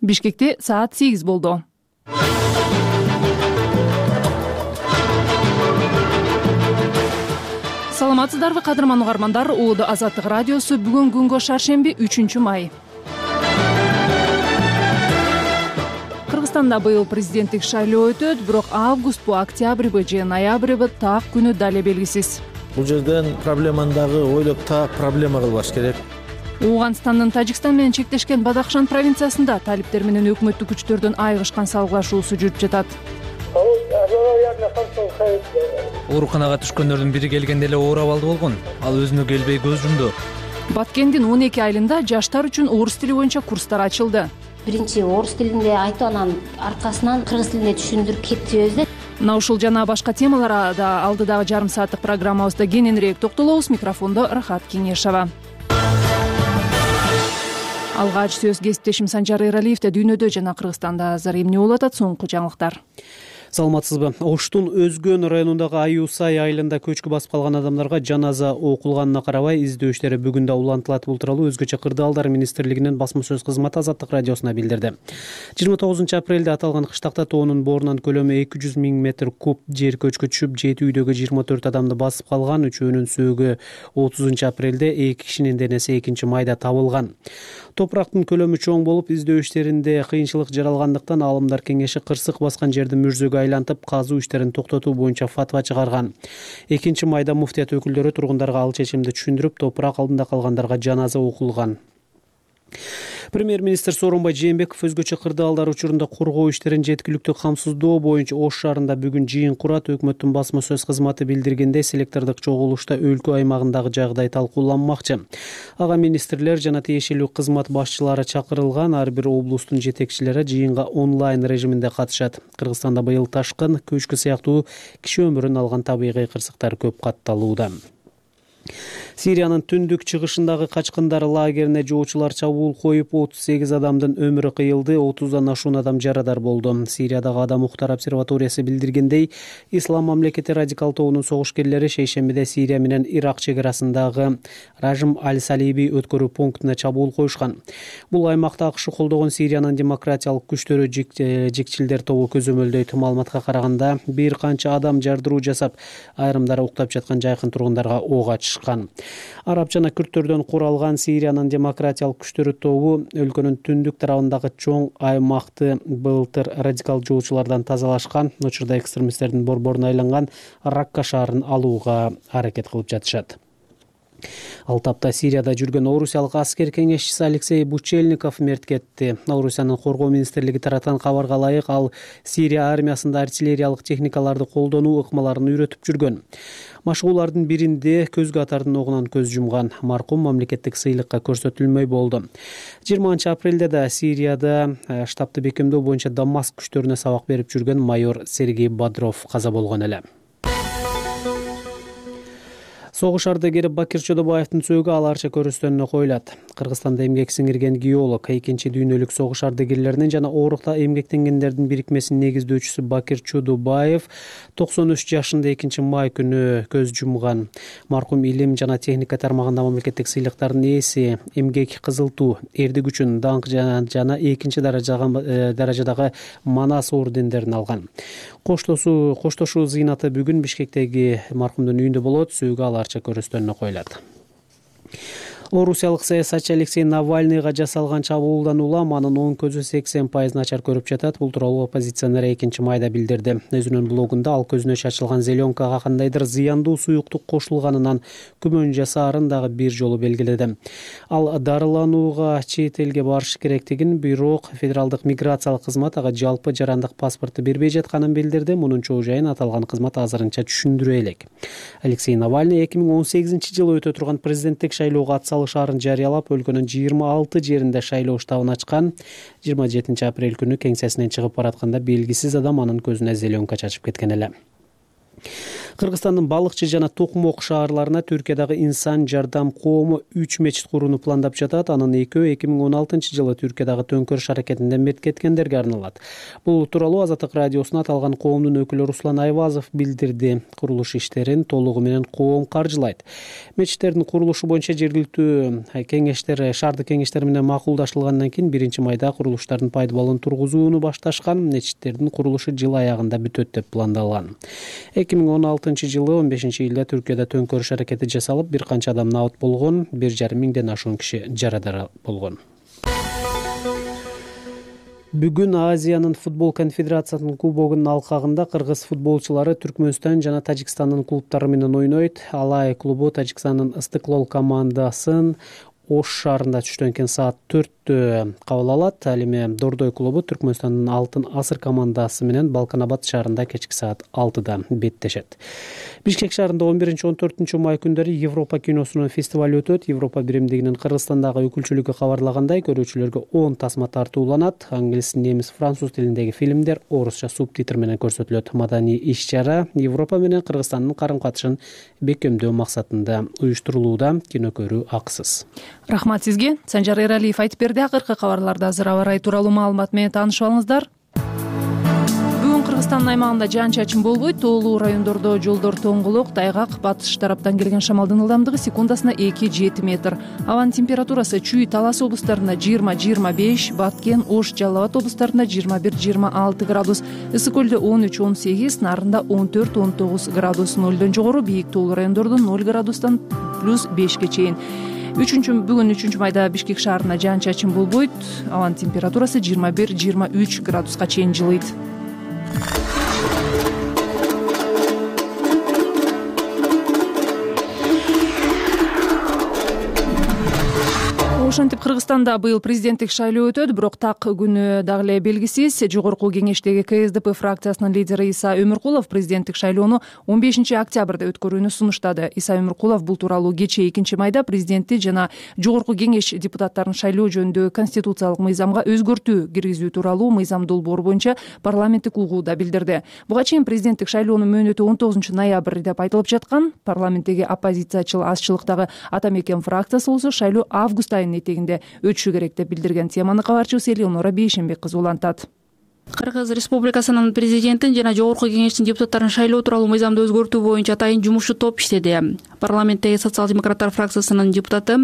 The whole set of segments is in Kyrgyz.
Бишкекте саат 8 болду. Саламатсыздарбы, кадырман угармандар? Улуу Азаттык радиосу бүгүн күнгө шаршемби 3-май. Кыргызстанда быйыл президенттик шайлоо өтөт, бирок августпу, октябрбы же ноябрбы так күнү дале белгисиз. Бул жерден проблеманы дагы ойлоп так проблема кылбаш керек. Ооганстандын Тажикстан менен чектешкен Бадахшан провинциясында талиптер менен өкмөттүк күчтөрдүн айыгышкан салгылашуусу жүрүп жатат. Ооруканага түшкөндөрдүн бири келгенде эле оор абалда болгон. Ал өзүнө келбей көз жумду. Баткендин 12 айылында жаштар үчүн орус тили боюнча курстар ачылды. Биринчи орус тилинде айтып, анан аркасынан кыргыз тилинде түшүндүрүп кетебиз да. Мына ушул жана башка темаларга да алдыдагы жарым сааттык программабызда кененирээк токтолобуз. Микрофондо Рахат Кеңешова. Алгач сөз кесиптешим Санжар Эралиевде. Дүйнөдө жана Кыргызстанда азыр эмне болуп атат? Соңку жаңылыктар. Саламатсызбы? Оштун Өзгөн районундагы Аюсай айылында көчкү басып калган адамдарга жаназа окулганына карабай издөө иштери бүгүн да улантылат. Бул тууралуу Өзгөчө кырдаалдар министрлигинин басма сөз кызматы Азаттык радиосуна билдирди. 29 апрелде аталган кыштакта тоонун боорунан көлөмү 200 000 метр куб жер көчкү түшүп, 7 үйдөгү 24 адамды басып калган. Үчөөнүн сөөгү 30 апрелде, 2 кишинин денеси 2-майда табылган. Топурактын көлөмү чоң болуп, издөө иштеринде кыйынчылык жаралгандыктан Аалымдар кеңеши кырсык баскан жерди мүрзөгө айлантып, казуу иштерин токтотуу боюнча фатва чыгарган. 2-майда муфтият өкүлдөрү тургундарга ал чечимди түшүндүрүп, топурак алдында калгандарга жаназа окулган. Премьер-министр Сооронбай Жээнбеков өзгөчө кырдаалдар учурунда коргоо иштерин жеткиликтүү камсыздоо боюнча Ош шаарында бүгүн жыйын курат. Өкмөттүн басма сөз кызматы билдиргендей, селектордук чогулушта өлкө аймагындагы жагдай талкууланмакчы. Ага министрлер жана тиешелүү кызмат башчылары чакырылган. Ар бир облустун жетекчилери жыйынга онлайн режиминде катышат. Кыргызстанда быйыл ташкын, көчкү сыяктуу киши өмүрүн алган табигый кырсыктар көп катталууда. Сириянын түндүк чыгышындагы качкындар лагерине жоочулар чабуул коюп, 38 адамдын өмүрү кыйылды, 30дан ашуун адам жарадар болду. Сириядагы Адам Укуктар обсерваториясы билдиргендей, Ислам мамлекети радикал тобунун согушкерлери шейшембиде Сирия менен Ирак чегарасындагы Ражим аль-Салиби өткөрүү пунктуна чабуул коюшкан. Бул аймакта АКШ колдогон Сириянын демократиялык күчтөрү жикчилдер тобу көзөмөлдөйт. Маалыматка караганда, бир канча адам жардыруу жасап, айрымдары уктап жаткан жайкын тургундарга ок ачышкан. Араб жана күрттөрдөн куралган Сириянын демократиялык күчтөрү тобу өлкөнүн түндүк тарабындагы чоң аймакты былтыр радикал жоочулардан тазалашкан. Учурда экстремисттердин борборуна айланган Ракка шаарын алууга аракет кылып жатышат. Ал тапта Сирияда жүргөн орусиялык аскер кеңешчиси Алексей Бучельников мерт кетти. Орусиянын коргоо министрлиги таратқан кабарга ылайык, ал Сирия армиясында артиллериялык техникаларды колдонуу ыкмаларын үйрөтүп жүргөн. Машыгуулардын биринде көзгө атардын огунан көз жумган. Маркум мамлекеттик сыйлыкка көрсөтүлмөй болду. 20-апрелде да Сирияда штабты бекемдөө боюнча Дамаск күчтөрүнө сабак берип жүргөн майор Сергей Бодров каза болгон эле. Согуш ардагери Бакир Чодобаевдин сөөгү аларча көрүстөнүнө коюлат. Кыргызстанда эмгек сиңирген геолог, 2-дүйнөлүк согуш ардагерлеринин жана оорукта эмгектенгендердин бирикмесинин негиздөөчүсү Бакир Чодобаев 93 жашында 2-май күнү көз жумган. Маркум илим жана техника тармагында мамлекеттик сыйлыктардын ээси, эмгек кызыл туу, эрдик үчүн даңк жана 2 даражадагы Манас ордендерин алган. Коштошуу зыйнаты бүгүн Бишкектеги маркумдун үйүндө болот. Сөөгү аларча көрүстөнүнө коюлат. Орусиялык саясатчы Алексей Навальныйга жасалган чабуулдан улам анын оң көзү 80% начар көрүп жатат. Бул тууралуу оппозиционер 2-майда билдирди. Өзүнүн блогунда ал көзүнө чачылган зеленкага кандайдыр зыяндуу суюктук кошулганынан күмөн жасаарын дагы бир жолу белгиледи. Ал дарыланууга чет элге барышы керектигин, бирок федералдык миграциялык кызмат ага жалпы жарандык паспорту бербей жатканын билдирди. Мунун чоо жайын аталган кызмат азырынча түшүндүрө элек. Алексей Навальный 2018-жылы өтө турган президенттик шайлоого шаарын жарыялап, өлкөнүн 26 жеринде шайлоо штабын ачкан. 27-апрель күнү кеңсесинен чыгып баратканда белгисиз адам анын көзүнө зеленка чачып кеткен эле. Кыргызстандын Балыкчы жана Токмок шаарларына Түркиядагы Инсан жардам коому 3 мечит курууну пландап жатат. Анын экөө 2016-жылы Түркиядагы төңкөрүш аракетинде мерт кеткендерге арналат. Бул тууралуу Азаттык радиосуна аталган коомдун өкүлү Руслан Айвазов билдирди. Курулуш иштерин толугу менен коом каржылайт. Мечиттердин курулушу боюнча жергиликтүү кеңештер, шаардык кеңештер менен макулдашылгандан кийин 1-майда курулуштардын пайдаланууну тургузууну башташкан. Мечиттердин курулушу жыл аягында бүтөт деп пландалган. 2016-жылы 15-июлда Түркияда төңкөрүш аракети жасалып, бир канча адам набыт болгон, 1,5 миңден ашуун киши жарадар болгон. Бүгүн Азиянын футбол конфедерациясынын кубогунун алкагында кыргыз футболчулары Түркмөнстан жана Тажикстандын клубдары менен ойнойт. Алай клубу Тажикстандын Ыстыклол командасын Ош шаарында түштөн кийин саат 4-тө кабыл алат. Ал эми Дордой клубу Түркмөнстандын Алтын Асыр командасы менен Балканабад шаарында кечки саат 6-да беттешет. Бишкек шаарында 11-14 май күндөрү Европа киносунун фестиваль өтөт. Европа биримдигинин Кыргызстандагы өкүлчүлүгү кабарлагандай, көрүүчүлөргө 10 тасма тартууланат. Англис, немис, француз тилиндеги фильмдер орусча субтитр менен көрсөтүлөт. Маданий иш-чара Европа менен Кыргызстандын карым-катышын бекемдөө максатында уюштурулууда. Кино көрүү акысыз. Рахмат сизге. Санжар Эралиев айтып берди. Акыркы кабарларда азыр аба ырайы тууралуу маалымат менен таанышып алыңыздар. Бүгүн Кыргызстандын аймагында жаан-чачын болбойт. Тоолуу райондордо жолдор тоңголок, тайгак, батыш тараптан келген шамалдын ылдамдыгы секундасына 2-7 метр. Абанын температурасы Чүй, Талас облустарында 20-25, Баткен, Ош, Жалал Абад облустарында 21-26 градус, Ысык көлдө 13-18, Нарында 14-19 градус. Нөлдөн жогору бийик тоолуу райондордо 0 градустан +5ге чейин. Бүгүн 3 майда Бишкек шаарына жаан-чачын болбойт. Абанын температурасы 21-23 градуска чейин жылыйт. Ошентип Кыргызстанда быйыл президенттик шайлоо өтөт, бирок так күнү дагы эле белгисиз. Жогорку кеңештеги КСДП фракциясынын лидери Иса Өмүркулов президенттик шайлоону 15-октябрда өткөрүүнү сунуштады. Иса Өмүркулов бул тууралуу кечээ 2-майда президентти жана жогорку кеңеш депутаттарын шайлоо жөнүндөгү конституциялык мыйзамга өзгөртүү киргизүү тууралуу мыйзам долбоору боюнча парламенттик угууда билдирди. Буга чейин президенттик шайлоонун мөөнөтү 19-ноябрь деп айтылып жаткан. Парламенттеги оппозициячыл азчылыктагы Ата Мекен фракциясы болсо шайлоо август айынын этегинде өтүшү керек деп билдирген. Теманы кабарчыбыз Элеонора Бейшенбек кызы улантат. Кыргыз Республикасынын президентин жана жогорку кеңештин депутаттарын шайлоо тууралуу мыйзамды өзгөртүү боюнча атайын жумушчу топ иштеди. Парламенттеги социал-демократтар фракциясынын депутаты,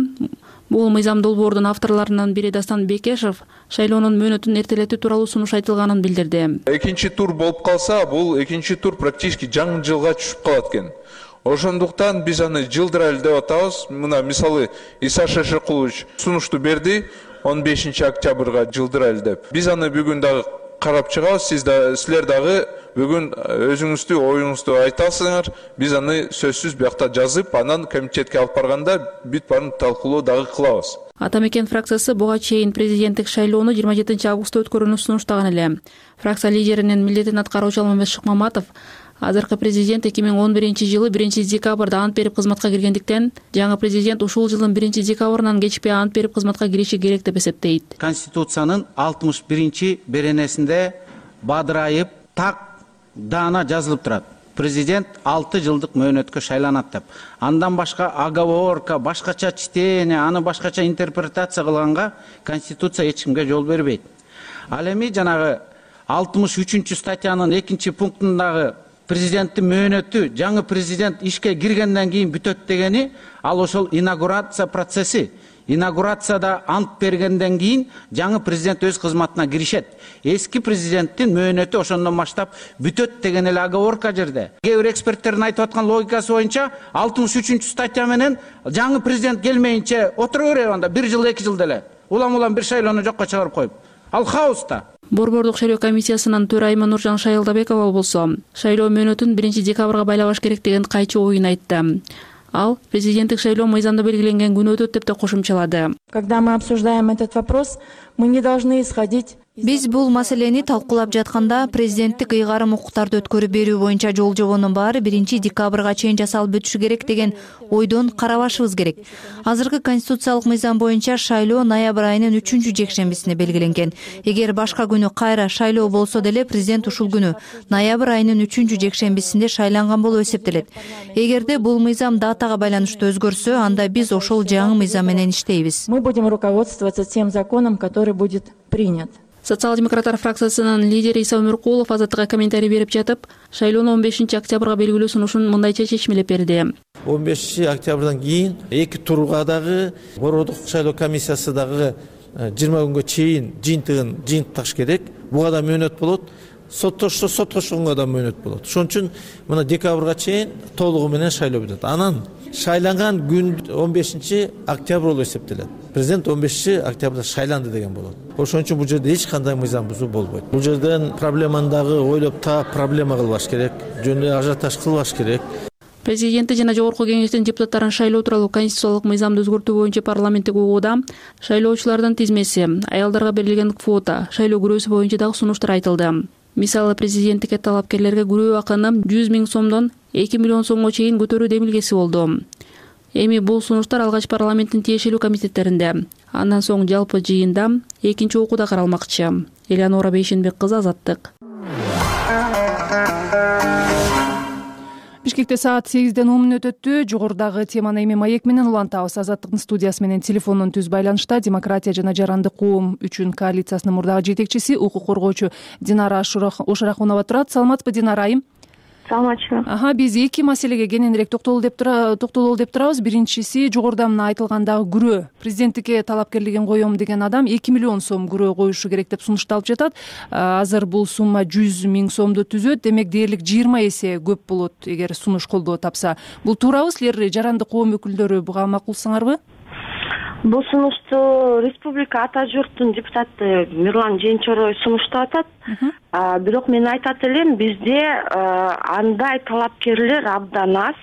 бул мыйзам долбоордун авторлорунун бири Дастан Бекешев шайлоонун мөөнөтүн эртелетүү тууралуу сунуш айтылганын билдирди. Экинчи тур болуп калса, бул экинчи тур практически жаңы жылга түшүп калат экен. Ошондуктан биз аны жылдырайлы деп атабыз. Мына мисалы Иса Шешекулович сунушту берди 15-октябрга жылдырайлы деп. Биз аны бүгүн дагы карап чыгабыз. Силер дагы бүгүн өзүңүздү оюңузду айтасыңар. Биз аны сөзсүз биякта жазып, анан комитетке алып барганда бүт баарын талкуулоо дагы кылабыз. Ата Мекен фракциясы буга чейин президенттик шайлоону 27-августта өткөрүүнү сунуштаган эле. Фракция лидеринин милдетин аткаруучу Алмамет Шыкмаматов азыркы президент 2011-жылы 1-декабрда ант берип кызматка киргендиктен, жаңы президент ушул жылдын 1-декабрынан кечпей ант берип кызматка кириши керек деп эсептейт. Конституциянын 61-беренесинде бадырайып, так даана жазылып турат. Президент 6 жылдык мөөнөткө шайланат деп. Андан башка оговорка, башкача чтение, аны башкача интерпретация кылганга Конституция эч кимге жол бербейт. Ал эми жанагы 63-статьянын 2-пунктундагы президенттин мөөнөтү жаңы президент ишке киргенден кийин бүтөт дегени, ал ошол инаугурация процесси. Инаугурацияда ант бергенден кийин жаңы президент өз кызматына киришет. Эски президенттин мөөнөтү ошондон баштап бүтөт деген эле оговорка жерде. Кээ бир эксперттердин айтып аткан логикасы боюнча 63-статья менен жаңы президент келмейинче отура берет анда 1 жыл 2 жыл деле. Улам бир шайлоону жокко чыгарып коюп. Ал хаоста. Борбордук шайлоо комиссиясынын төрайымы Нуржан Шайылдабекова болсо, шайлоо мөөнөтүн 1-декабрга байлабаш керек деген кайчы оюн айтты. Ал президенттик шайлоо мыйзамда белгиленген күнү өтөт деп да кошумчалады. Когда мы обсуждаем этот вопрос, мы не должны исходить Биз бул маселени талкуулап жатканда президенттик ыйгарым укуктарды өткөрүп берүү боюнча жол жобонун баары 1 декабрга чейин жасалып өтүшү керек деген ойдон карабашыбыз керек. Азыркы конституциялык мыйзам боюнча шайлоо ноябрь айынын 3 жекшембисине белгиленген. Эгер башка күнү кайра шайлоо болсо деле президент ушул күнү ноябрь айынын 3 жекшембисинде шайланган болуп эсептелет. Эгерде бул мыйзам датага байланыштуу өзгөрсө, анда биз ошол жаңы мыйзам менен иштейбиз. Мы будем руководствоваться тем законом, который будет принят. Социал-демократтар фракциясынын лидери Иса Өмүркулов Азаттыкка комментарий берип жатып, шайлоону 15 октябрга белгилөө сунушун мындайча чечмелеп берди. 15 октябрдан кийин 2 турга дагы бородук шайлоо комиссиясы дагы 20 күнгө чейин жыйынтыкташ керек. Буга да мөөнөт болот. Соттошконго да мөөнөт болот. Ошон үчүн мына декабрга чейин толугу менен шайлоо бүтөт. Анан шайланган күн 15 октябрь болуп эсептелет. Президент 15 октябрда шайланды деген болот. Ошон үчүн бул жерде эч кандай мыйзам бузуу болбойт. Бул жерден проблеманы дагы ойлоп таап проблема кылбаш керек, жөнүндө ажиотаж кылбаш керек. Президенти жана жогорку кеңештин депутаттарын шайлоо тууралуу конституциялык мыйзамды өзгөртүү боюнча парламенттик угууда шайлоочулардын тизмеси, аялдарга берилген квота, шайлоо күрөөсү боюнча дагы сунуштар айтылды. Мисалы, президенттикке талапкерлерге күрөө акыны 100 000 сомдон 2 миллион сомго чейин көтөрүү демилгеси болду. Эми бул сунуштар алгач парламенттин тиешелүү комитеттеринде, андан соң жалпы жыйында экинчи окууда каралмакчы. Элеонора Бейшенбек кызы, Азаттык. Бишкекте саат 8-ден 10 мүнөт өттү. Жогорудагы теманы эми маек менен улантабыз. Азаттыктын студиясы менен телефондон түз байланышта Демократия жана Жарандык коом үчүн коалициясынын мурдагы жетекчиси, укук коргоочу Динара Ошорахунова турат. Саламатсызбы, Динара айым? Саламатчылык. Биз эки маселеге кененирээк токтололу деп турабыз. Биринчиси, жогоруда мына айтылгандагы күрөө. Президенттикке талапкерлигин коем деген адам 2 миллион сом күрөө коюшу керек деп сунушталып жатат. Азыр бул сумма 100 000 сомду түзөт. Демек дээрлик 20 эсе көп болот эгер сунуш колдоо тапса. Бул туурабы? Силер Жарандык коом өкүлдөрү буга макулсыңарбы? Бул сунушту республика ата журттун депутаты Мирлан Женчорой сунуштап атат. Бирок мен айтат элем, бизде андай талапкерлер абдан аз.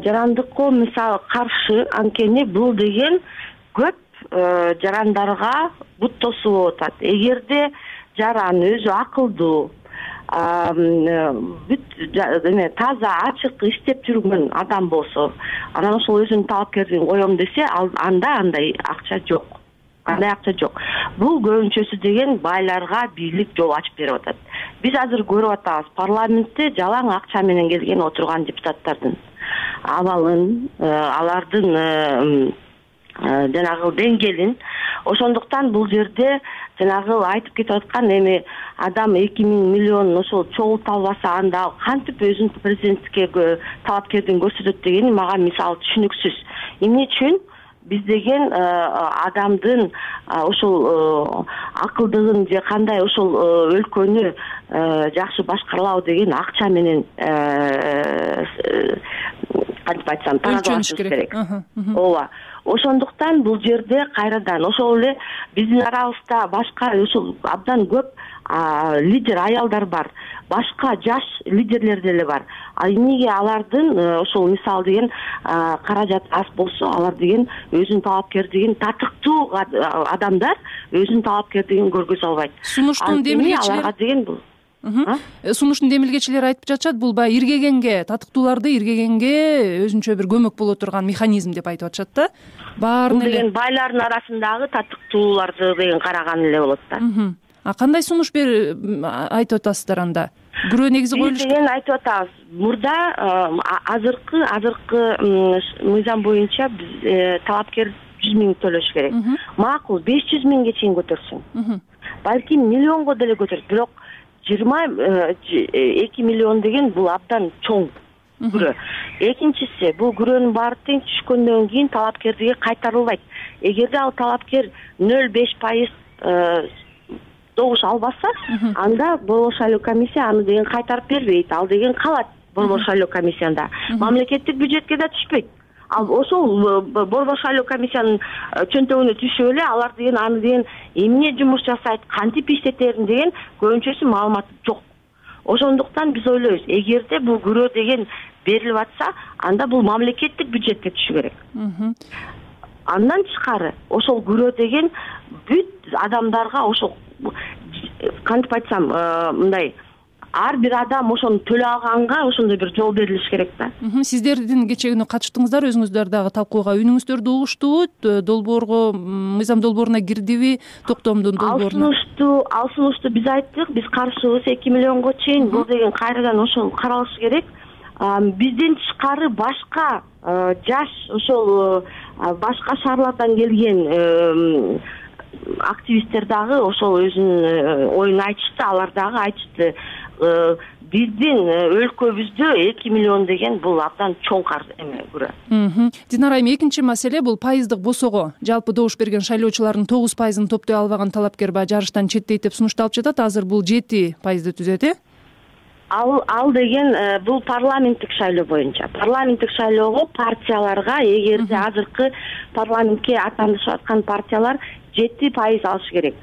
Жарандык коом мисалы каршы, анткени бул деген көп жарандарга бут тосуу болуп атат. Эгерде жаран өзү акылдуу, таза ачык иштеп жүргөн адам болсо, анан ошол өзүнүн талапкерлигин коем десе, анда андай акча жок. Бул көбүнчөсү деген байларга бийлик жол ачып берип атат. Биз азыр көрүп атабыз, парламентте жалаң акча менен келген отурган депутаттардын абалын, алардын жанагы деңгээлин. Ошондуктан бул жерде жанагы айтып кетип аткан эми адам 2 миллион ошол чогулта албаса, анда кантип өзүнүн президенттикке талапкердин көрсөтөт дегени мага мисалы түшүнүксүз. Эмне үчүн биз деген адамдын ошол акылдыгын же кандай ошол өлкөнү жакшы башкаралабы деген акча менен кантип айтсам таразалаш керек. Ооба. Ошондуктан бул жерде кайрадан ошол эле биздин арабызда башка ошол абдан көп лидер аялдар бар, башка жаш лидерлер деле бар. Эмнеге алардын ошол мисалы деген каражат аз болсо, алар деген өзүнүн талапкерлигин, татыктуу адамдар өзүнүн талапкерлигин көргөзө албайт. Сунуштун демилгечилери деген бул. Сунуштун демилгечилери айтып жатышат, бул баягы иргегенге, татыктууларды иргегенге өзүнчө бир көмөк боло турган механизм деп айтып атышат да. Бул деген байлардын арасындагы татыктууларды деген караган эле болот да. Кандай сунуш айтып атасыздар анда? Күрөө негизи коюлуш деген айтып атабыз. Мурда азыркы мыйзам боюнча биз талапкер 100 000 төлөш керек. Макул 500 000ге чейин көтөрсүн. Балким миллионго деле көтөрөт, бирок 22 миллион деген бул абдан чоң күрөө. Экинчиси, бул күрөөнүн баары тең түшкөндөн кийин талапкерлиги кайтарылбайт. Эгерде ал талапкер 0,5% добуш албаса, анда борбор шайлоо комиссия аны деген кайтарып бербейт. Ал деген калат борбор шайлоо комиссиясында. Мамлекеттик бюджетке да түшпөйт. Ал ошол борбор шайлоо комиссиянын чөнтөгүнө түшүп эле алар деген аны деген эмне жумуш жасайт, кантип иштетерин деген көбүнчөсү маалымат жок. Ошондуктан биз ойлойбуз, эгерде бул күрөө деген берилип атса, анда бул мамлекеттик бюджетке түшү керек. Андан тышкары ошол күрөө деген бүт адамдарга ошол кантип айтсам, мындай ар бир адам ошону төлөй алганга ошондой бир жол берилиш керек да. Сиздердин кечээ күнү катыштыңыздар, өзүңүздөр дагы талкууга. Үнүңүздөрдү угуштубу? Долбоорго, мыйзам долбооруна кирдиби? Токтомдун долбооруна? Ал сунушту биз айттык, биз каршыбыз 2 миллионго чейин. Бул деген кайрадан ошол каралышы керек. Бизден тышкары башка жаш ошол башка шаарлардан келген активисттер дагы ошол өзүнүн оюн айтышты. Алар дагы айтышты, биздин өлкөбүздө 2 миллион деген бул абдан чоң эме күрө. Динара айым, экинчи маселе бул пайыздык босого. Жалпы добуш берген шайлоочулардын 9%-ын топтой албаган талапкер баягы жарыштан четтейт деп сунушталып жатат. Азыр бул 7% түзөт, э? Ал деген бул парламенттик шайлоо боюнча. Парламенттик шайлоого партияларга, эгерде азыркы парламентке аттанышып аткан партиялар 7% алыш керек.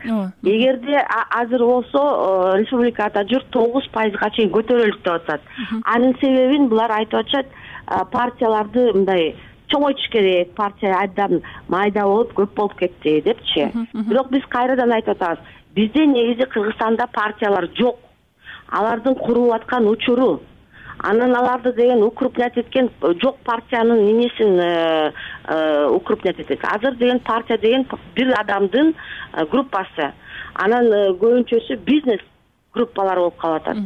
Эгерде азыр болсо республикада журт 9%га чейин көтөрөлүк деп атат. Анын себебин булар айтып атышат, партияларды мындай чоңойтуш керек, партия абдан майда болуп көп болуп кетти депчи. Бирок биз кайрадан айтып атабыз, бизде негизи Кыргызстанда партиялар жок. Алардын курулуп аткан учуру, анан аларды деген укрупнять эткен жок партиянын эмесин укрупнять этет. Азыр деген партия деген бир адамдын группасы. Анан көбүнчөсү бизнес группалар болуп калып атат.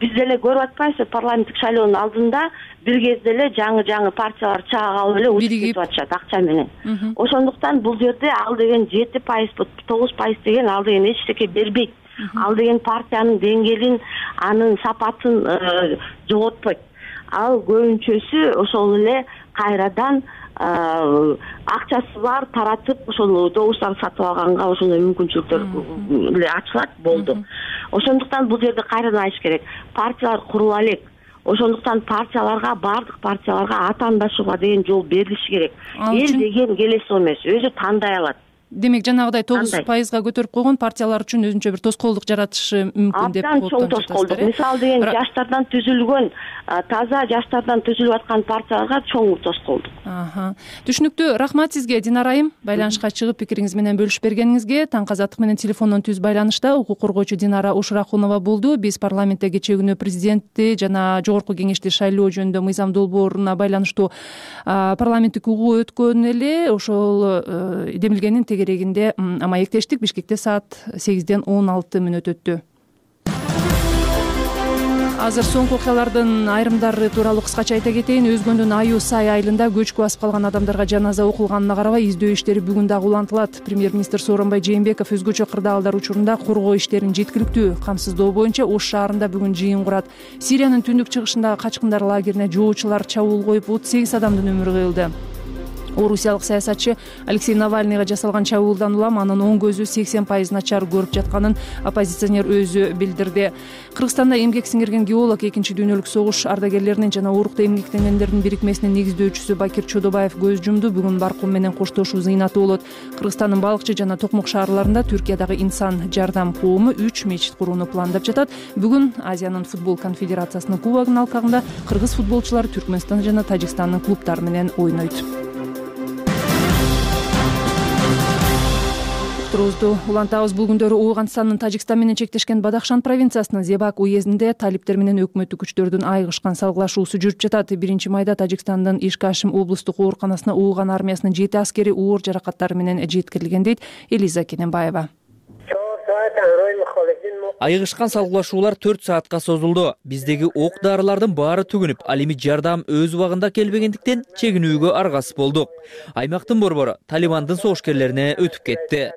Биз деле көрүп атпайбызбы, парламенттик шайлоонун алдында бир кезде эле жаңы партиялар чаага алып эле учуп кетип атышат акча менен. Ошондуктан бул жерде ал деген 7%, 9% деген ал деген эч нерсе бербейт. Ал деген партиянын деңгээлин, анын сапатын жоготпойт. Ал көбүнчөсү ошол эле кайрадан акчасы бар таратып, ошол добуштарды сатып алганга ошондой мүмкүнчүлүктөр эле ачылат, болду. Ошондуктан бул жерде кайрадан айтыш керек, партиялар курула элек. Ошондуктан партияларга, бардык партияларга атаандашууга деген жол берилиши керек. Эл деген келесоо эмес, өзү тандай алат. Демек, жанагыдай 9%га көтөрүп койгон партиялар үчүн өзүнчө бир тоскоолдук жаратышы мүмкүн деп абдан чоң тоскоолдук. Мисалы деген жаштардан түзүлгөн, таза жаштардан түзүлүп аткан партияларга чоң тоскоолдук. Түшүнүктүү. Рахмат сизге, Динара айым, байланышка чыгып пикириңиз менен бөлүшүп бергениңизге. Таң казаттык менен телефондон түз байланышта укук коргоочу Динара Ушрахунова болду. Биз парламентте кечээ күнү президентти жана жогорку кеңешти шайлоо жөнүндө мыйзам долбооруна байланыштуу парламенттик угуу өткөн эле. Ошол демилгенин тегерегинде маектештик. Бишкекте саат 8-ден 16 мүнөт өттү. Азыр соңку окуялардын айрымдары тууралуу кыскача айта кетейин. Өзгөндүн Аю Сай айылында көчкү басып калган адамдарга жаназа окулганына карабай издөө иштери бүгүн дагы улантылат. Премьер-министр Сооронбай Жээнбеков өзгөчө кырдаалдар учурунда коргоо иштерин жеткиликтүү камсыздоо боюнча Ош шаарында бүгүн жыйын курат. Сириянын түндүк чыгышындагы качкындар лагерине жоочулар чабуул коюп 38 адамдын өмүрү кыйылды. Орусиялык саясатчы Алексей Навальныйга жасалган чабуулдан улам анын оң көзү 80% начар көрүп жатканын оппозиционер өзү билдирди. Кыргызстанда эмгек сиңирген геолог, экинчи дүйнөлүк согуш ардагерлеринин жана уурукта эмгектенгендердин бирикмесинин негиздөөчүсү Бакир Чодобаев көз жумду. Бүгүн барком менен коштошуу зыйнаты болот. Кыргызстандын Балыкчы жана Токмок шаарларында Түркиядагы инсан жардам коому 3 мечит курууну пландап жатат. Бүгүн Азиянын футбол конфедерациясынын кубогунун алкагында кыргыз футболчулары Түркмөнстан жана Тажикстандын клубдары менен ойнойт. Улантабыз. Бул күндөрү Ооганстандын Тажикстан менен чектешкен Бадахшан провинциясынын Зебак уездинде талиптер менен өкмөттүк күчтөрдүн айыгышкан салгылашуусу жүрүп жатат. 1-майда Тажикстандын Ишкашим облустук ооруканасына Ооган армиясынын 7 аскери оор жаракаттары менен жеткирилген дейт Элиза Кененбаева. Айыгышкан салгылашуулар 4 саатка созулду. Биздеги ок дарылардын баары түгүнүп, ал эми жардам өз убагында келбегендиктен чегинүүгө аргасыз болдук. Аймактын борбору Талибандын согушкерлерине өтүп кетти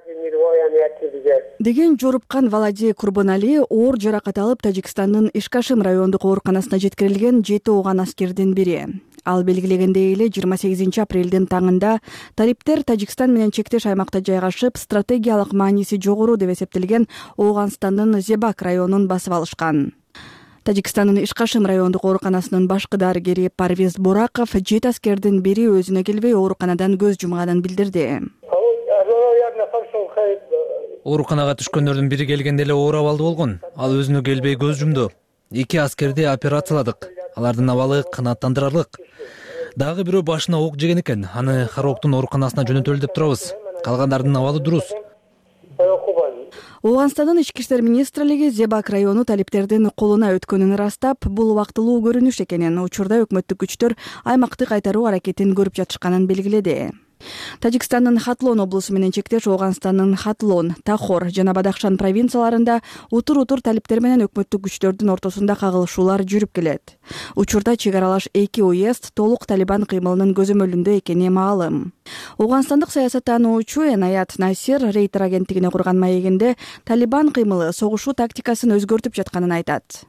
деген жорупкан Валади Курбанали оор жаракат алып Тажикстандын Ишкашим райондук ооруканасына жеткирилген 7 ооган аскердин бири. Ал белгилегендей эле 28 апрелдин таңында талиптер Тажикстан менен чектеш аймакта жайгашып, стратегиялык мааниси жогору деп эсептелген Ооганстандын Зебак районун басып алышкан. Тажикстандын Ишкашим райондук ооруканасынын башкы дарыгери Парвиз Бораков 7 аскердин бири өзүнө келбей ооруканадан көз жумганын билдирди. Ооруканага түшкөндөрдүн бири келгенде эле оор абалда болгон. Ал өзүнө келбей көз жумду. 2 аскерди операцияладык. Алардын абалы канааттандырарлык. Дагы бирөө башына ок жеген экен. Аны Хароктун ооруканасына жөнөтөлү деп турабыз. Калгандардын абалы дурус. Ооганстандын ички иштер министрлиги Зебак району талиптердин колуна өткөнүн ырастап, бул убактылуу көрүнүш экенин, учурда өкмөттүк күчтөр аймакты кайтаруу аракетин көрүп жатышканын белгиледи. Тажикстандын Хатлон облусу менен чектеш Ооганстандын Хатлон, Тахор жана Бадахшан провинцияларында утур талиптер менен өкмөттүк күчтөрдүн ортосунда кагылышуулар жүрүп келет. Учурда чек аралаш 2 уезд толук Талибан кыймылынын көзөмөлүндө экени маалым. Ооганстандык саясаттануучу Энаят Насир Рейтер агенттигине курган маегинде Талибан кыймылы согушуу тактикасын өзгөртүп жатканын айтат.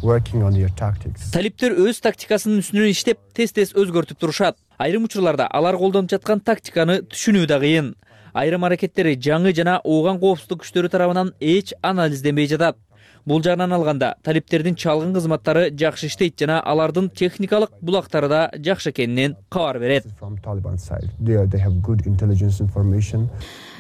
Талиптер өз тактикасынын үстүнөн иштеп, тез өзгөртүп турушат. Айрым учурларда алар колдонуп жаткан тактиканы түшүнүү да кыйын. Айрым аракеттери жаңы жана ооган коопсуздук күчтөрү тарабынан эч анализденбей жатат. Бул жагынан алганда, талиптердин чалгын кызматтары жакшы иштейт жана алардын техникалык булактары да жакшы экенинен кабар берет.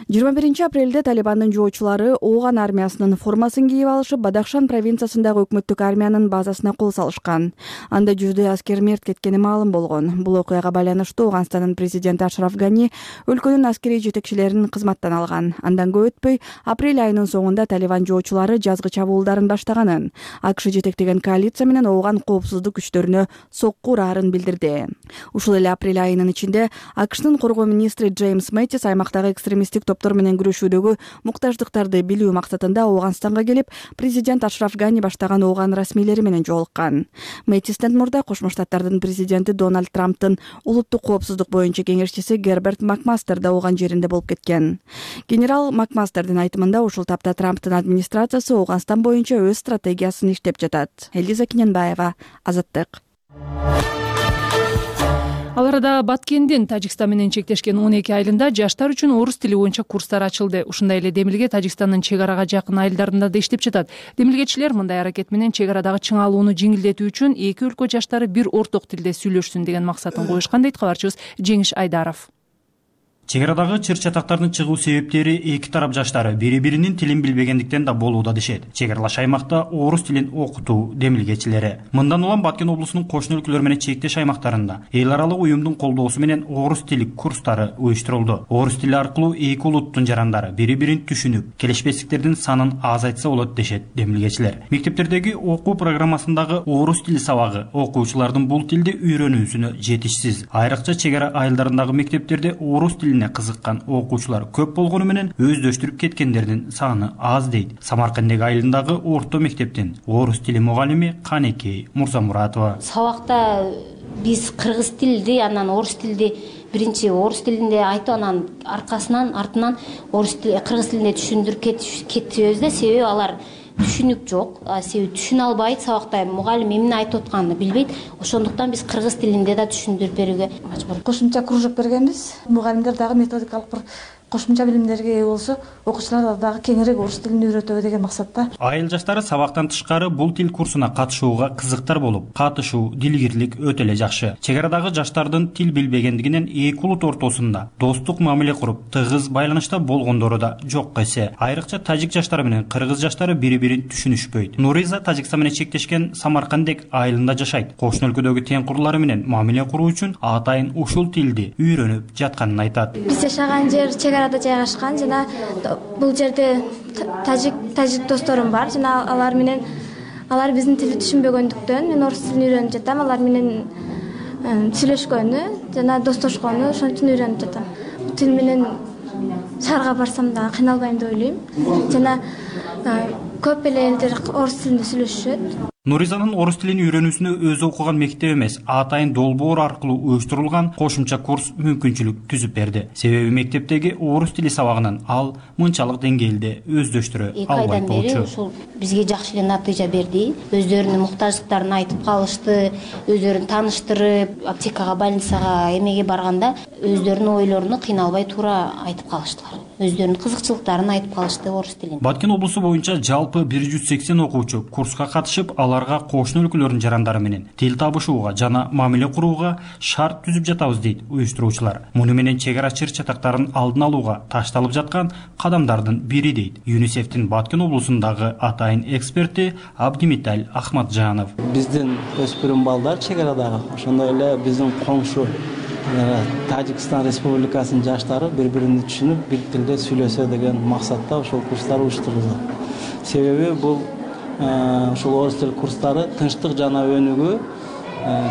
21 апрелде Талибандын жоочулары Ооган армиясынын формасын кийип алышып, Бадахшан провинциясындагы өкмөттүк армиянын базасына кол салышкан. Анда 100 аскер мерт кеткени маалым болгон. Бул окуяга байланыштуу Ооганстандын президенти Ашраф Гани өлкөнүн аскерий жетекчилерин кызматтан алган. Андан көп өтпөй, апрель айынын соңунда Талибан жоочулары жазгы чабуулдарын баштаганын, АКШ жетектеген коалиция менен Ооган коопсуздук күчтөрүнө сокку ураарын билдирди. Ушул эле апрель айынын ичинде АКШнын коргоо министри Джеймс Мэттис аймактагы экстремисттик топтор менен күрөшүүдөгү муктаждыктарды билүү максатында Ооганстанга келип, президент Ашраф Гани баштаган Ооган расмийлери менен жолуккан. Мэттистен мурда Кошмо Штаттардын президенти Дональд Трамптын улуттук коопсуздук боюнча кеңешчиси Герберт Макмастер да Ооган жеринде болуп кеткен. Генерал Макмастердин айтымында ушул тапта Трамптын администрациясы Ооганстан боюнча өз стратегиясын иштеп жатат. Элиза Киненбаева, Азаттык. Ал арада Баткендин Тажикстан менен чектешкен 12 айылында жаштар үчүн орус тили боюнча курстар ачылды. Ушундай эле демилге Тажикстандын чек арага жакын айылдарында да иштеп жатат. Демилгечилер мындай аракет менен чек арадагы чыңалууну жеңилдетүү үчүн эки өлкө жаштары бир орток тилде сүйлөшсүн деген максатын коюшкан дейт кабарчыбыз Жеңиш Айдаров. Чек арадагы чыр-чатактардын чыгуу себептери эки тарап жаштары бири-биринин тилин билбегендиктен да болууда дешет. Чек аралаш аймакта орус тилин окутуу демилгечилери. Мындан улам Баткен облусунун кошуна өлкөлөр менен чектеш аймактарында эл аралык уюмдун колдоосу менен орус тили курстары уюштурулду. Орус тили аркылуу эки улуттун жарандары бири-бирин түшүнүп, келишпестиктердин санын азайтса болот дешет демилгечилер. Мектептердеги окуу программасындагы орус тили сабагы окуучулардын бул тилди үйрөнүүсүнө жетишсиз. Айрыкча чек ара айылдарындагы мектептерде орус тилине кызыккан окуучулар көп болгону менен өздөштүрүп кеткендердин саны аз дейт. Самаркандеги айылындагы орто мектептин орус тили мугалими Канекей Мурзамуратова. Сабакта биз кыргыз тилди, анан орус тилди биринчи орус тилинде айтып, анан артынан орус тили, кыргыз тилинде түшүндүрүп кетебиз да, себеби алар түшүнүк жок, себеби түшүнө албайт, сабакта мугалим эмне айтып атканын билбейт. Ошондуктан биз кыргыз тилинде да түшүндүрүп берүүгө мажбур. Кошумча кружок бергенбиз. Мугалимдер дагы методикалык бир кошумча билимдерге ээ болсо, окуучулар дагы кеңирээк орус тилин үйрөтөбү деген максатта. Айыл жаштары сабактан тышкары бул тил курсуна катышууга кызыктар болуп, катышуу, дилгирлик өтө эле жакшы. Чек арадагы жаштардын тил билбегендигинен эки улут ортосунда достук мамиле куруп, тыгыз байланышта болгондору да жок эсе. Айрыкча тажик жаштары менен кыргыз жаштары бири-бирин түшүнүшпөйт. Нуриза Тажикстан менен чектешкен Самаркандек айылында жашайт. Кошуна өлкөдөгү тең курлары менен мамиле куруу үчүн атайын ушул тилди үйрөнүп жатканын айтат. Биз жашаган жер чек арада жайгашкан жана бул жерде тажик досторум бар жана алар биздин тилди түшүнбөгөндүктөн мен орус тилин үйрөнүп жатам. Алар менен сүйлөшкөнү жана достошкону ошон үчүн үйрөнүп жатам. Тил менен шаарга барсам да кыйналбайм деп ойлойм. Жана көп эле элдер орус тилинде сүйлөшүшөт. Нуризанын орус тилин үйрөнүүсүнө өзү окуган мектеп эмес, атайын долбоор аркылуу уюштурулган кошумча курс мүмкүнчүлүк түзүп берди. Себеби мектептеги орус тили сабагынан ал мынчалык деңгээлде өздөштүрө албайт болчу. Ушул бизге жакшы эле натыйжа берди. Өздөрүнүн муктаждыктарын айтып калышты, өздөрүн тааныштырып, аптекага, больницага эмеге барганда өздөрүнүн ойлоруну кыйналбай туура айтып калыштылар. Өздөрүнүн кызыкчылыктарын айтып калышты орус тилин. Баткен облусу боюнча жалпы 180 окуучу курска катышып, аларга кошуна өлкөлөрдүн жарандары менен тил табышууга жана мамиле курууга шарт түзүп жатабыз дейт уюштуруучулар. Муну менен чек ара чыр-чатактарын алдын алууга ташталып жаткан кадамдардын бири дейт ЮНИСЕФтин Баткен облусундагы атайын эксперти Абдимиталь Ахматжанов. Биздин өспүрүм балдар чек арадагы, ошондой эле биздин коңшу Тажикстан Республикасынын жаштары бири бирин түшүнүп, бир тилде сүйлөсө деген максатта ушул курстар уюштурулду. Себеби бул ушул орус тил курстары тынчтык жана өнүгүү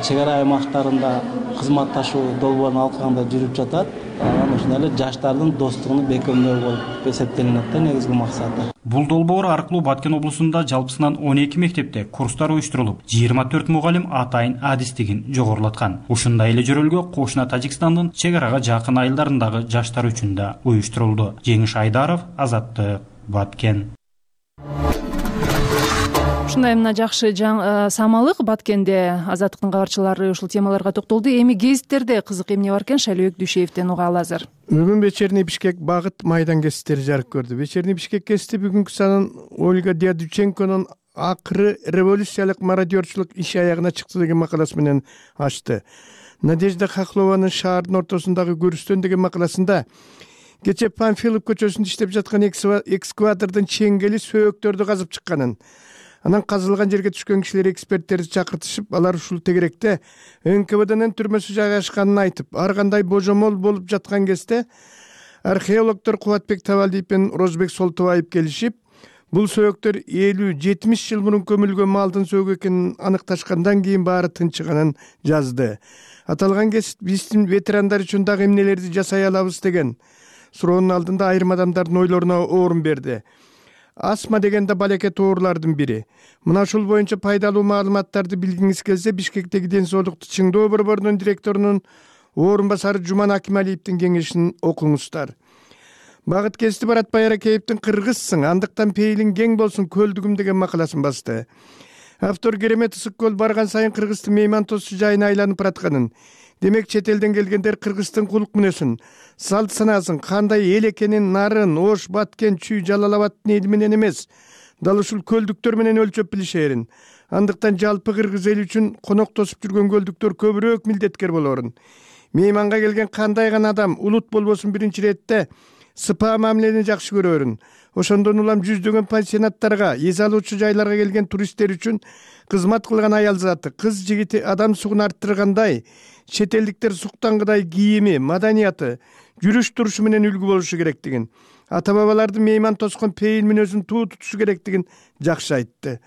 чек ара аймактарында кызматташуу долбоорун алкагында жүрүп жатат. Анан ошондой эле жаштардын достугун бекемдөө болуп эсептелинет да негизги максаты. Бул долбоор аркылуу Баткен облусунда жалпысынан 12 мектепте курстар уюштурулуп, 24 мугалим атайын адистигин жогорулаткан. Ушундай эле жөрөлгө кошуна Тажикстандын чек арага жакын айылдарындагы жаштар үчүн да уюштурулду. Жеңиш Айдаров, Азаттык, Баткен. Ушундай мына жакшы самалык Баткенде Азаттыктын кабарчылары ушул темаларга токтолду. Эми гезиттерде кызык эмне бар экен Шайлообек Дүйшеевден угалы азыр. Бүгүн Вечерний Бишкек багыт майдан гезиттери жарык көрдү. Вечерний Бишкек гезити бүгүнкү санын Ольга Дядюченконун акыры революциялык мародерчулук иш аягына чыкты деген макаласы менен ачты. Надежда Хохлованын шаардын ортосундагы көрүстөн деген макаласында кечээ Панфилов көчөсүндө иштеп жаткан экскаватордун чеңгели сөөктөрдү казып чыкканын, анан казылган жерге түшкөн кишилер эксперттерди чакыртышып, алар ушул тегеректе НКВДнын түрмөсү жайгашканын айтып, ар кандай божомол болуп жаткан кезде археологдор Кубатбек Табалдиев менен Розбек Солтобаев келишип, бул сөөктөр 50-70 жыл мурун көмүлгөн малдын сөөгү экенин аныкташкандан кийин баары тынчыганын жазды. Аталган гезит биздин ветерандар үчүн дагы эмнелерди жасай алабыз деген суроонун алдында айрым адамдардын ойлоруна орун берди. Астма деген да балекет оорулардын бири. Мына ушул боюнча пайдалуу маалыматтарды билгиңиз келсе, Бишкектеги ден соолукту чыңдоо борборунун директорунун орун басары Жуман Акималиевдин кеңешин окуңуздар. Багыт гезити Баратбай Аракеевдин «Кыргызсың, андыктан пейилиң кең болсун көлдүгүм» деген макаласын басты. Автор керемет ысык көл барган сайын Кыргыздын меймантосу жайына айланып баратканын, демек чет элден келгендер Кыргыздын кулук мүнөсүн, салт санаасын, кандай эл экенин Нарын, Ош, Баткен, Чүй, Жалал-Абадтын эли менен эмес, дал ушул көлдүктөр менен өлчөп билишерин. Андыктан жалпы кыргыз эли үчүн конок тосуп жүргөн көлдүктөр көбүрөөк милдеткер болорун. Мейманга келген кандай гана адам улут болбосун биринчи иретте сыпаа мамилени жакшы көрөрүн. Ошондон улам жүздөгөн пансионаттарга, эс алуучу жайларга келген туристтер үчүн кызмат кылган аял заты, кыз жигити адам сугун арттыргандай, чет элдиктер суктангыдай кийими, маданияты, жүрүш турушу менен үлгү болушу керектигин, ата бабалардын мейман тоскон пейил мүнөзүн туу тутушу керектигин жакшы айтты.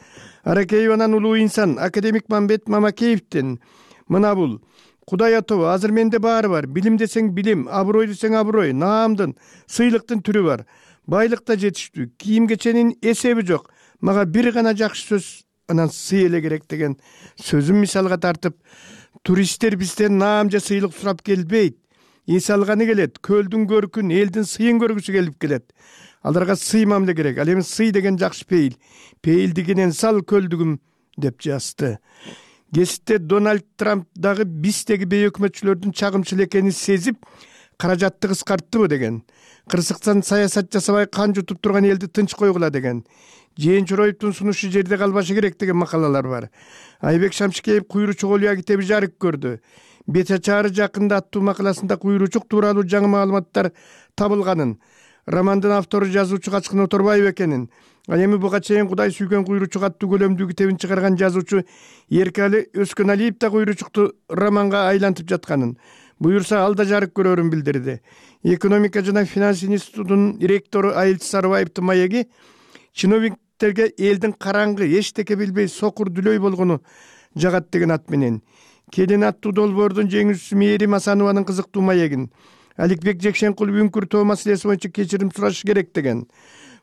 Аракееванан улуу инсан академик Мамбет Мамакеевдин мына бул: Кудай атабы, азыр менде баары бар. Билим десең билим, аброй десең аброй, наамдын, сыйлыктын түрү бар. Байлыкта жетиштүү, кийим кеченин эсеби жок. Мага бир гана жакшы сөз, анан сый эле керек деген сөзүн мисалга тартып, туристтер бизден наам же сыйлык сурап келбейт. Эс алганы келет, көлдүн көркүн, элдин сыйын көргүсү келип келет. Аларга сый мамиле керек. Ал эми сый деген жакшы пейил. Пейилдигинен сал көлдүгүм деп жазды. Гезитте Дональд Трамп дагы биздеги бей өкмөтчүлөрдүн чагымчыл экенин сезип, каражатты кыскарттыбы деген. Кырсыктан саясат жасабай кан жутуп турган элди тынч койгула деген. Жээн Чороевдун сунушу жерде калбашы керек деген макалалар бар. Айбек Шамшикеев куйручук олуя китеби жарык көрдү. Бет ачаары жакында аттуу макаласында куйручук тууралуу жаңы маалыматтар табылганын, романдын автору жазуучу Качкын Оторбаев экенин, ал эми буга чейин Кудай сүйгөн куйручук аттуу көлөмдүү китебин чыгарган жазуучу Эркали Өскөналиев да куйручукту романга айлантып жатканын, буюрса ал да жарык көрөрүн билдирди. Экономика жана финанс институтунун ректору Айыл Сарыбаевдин маеги чиновниктерге элдин караңгы, эчтеке билбей сокур дүлөй болгону жагат деген ат менен, Келин аттуу долбоордун жеңүүчүсү Мээрим Асанованын кызыктуу маегин, Аликбек Жекшенкулов үңкүр тоо маселеси боюнча кечирим сурашы керек деген,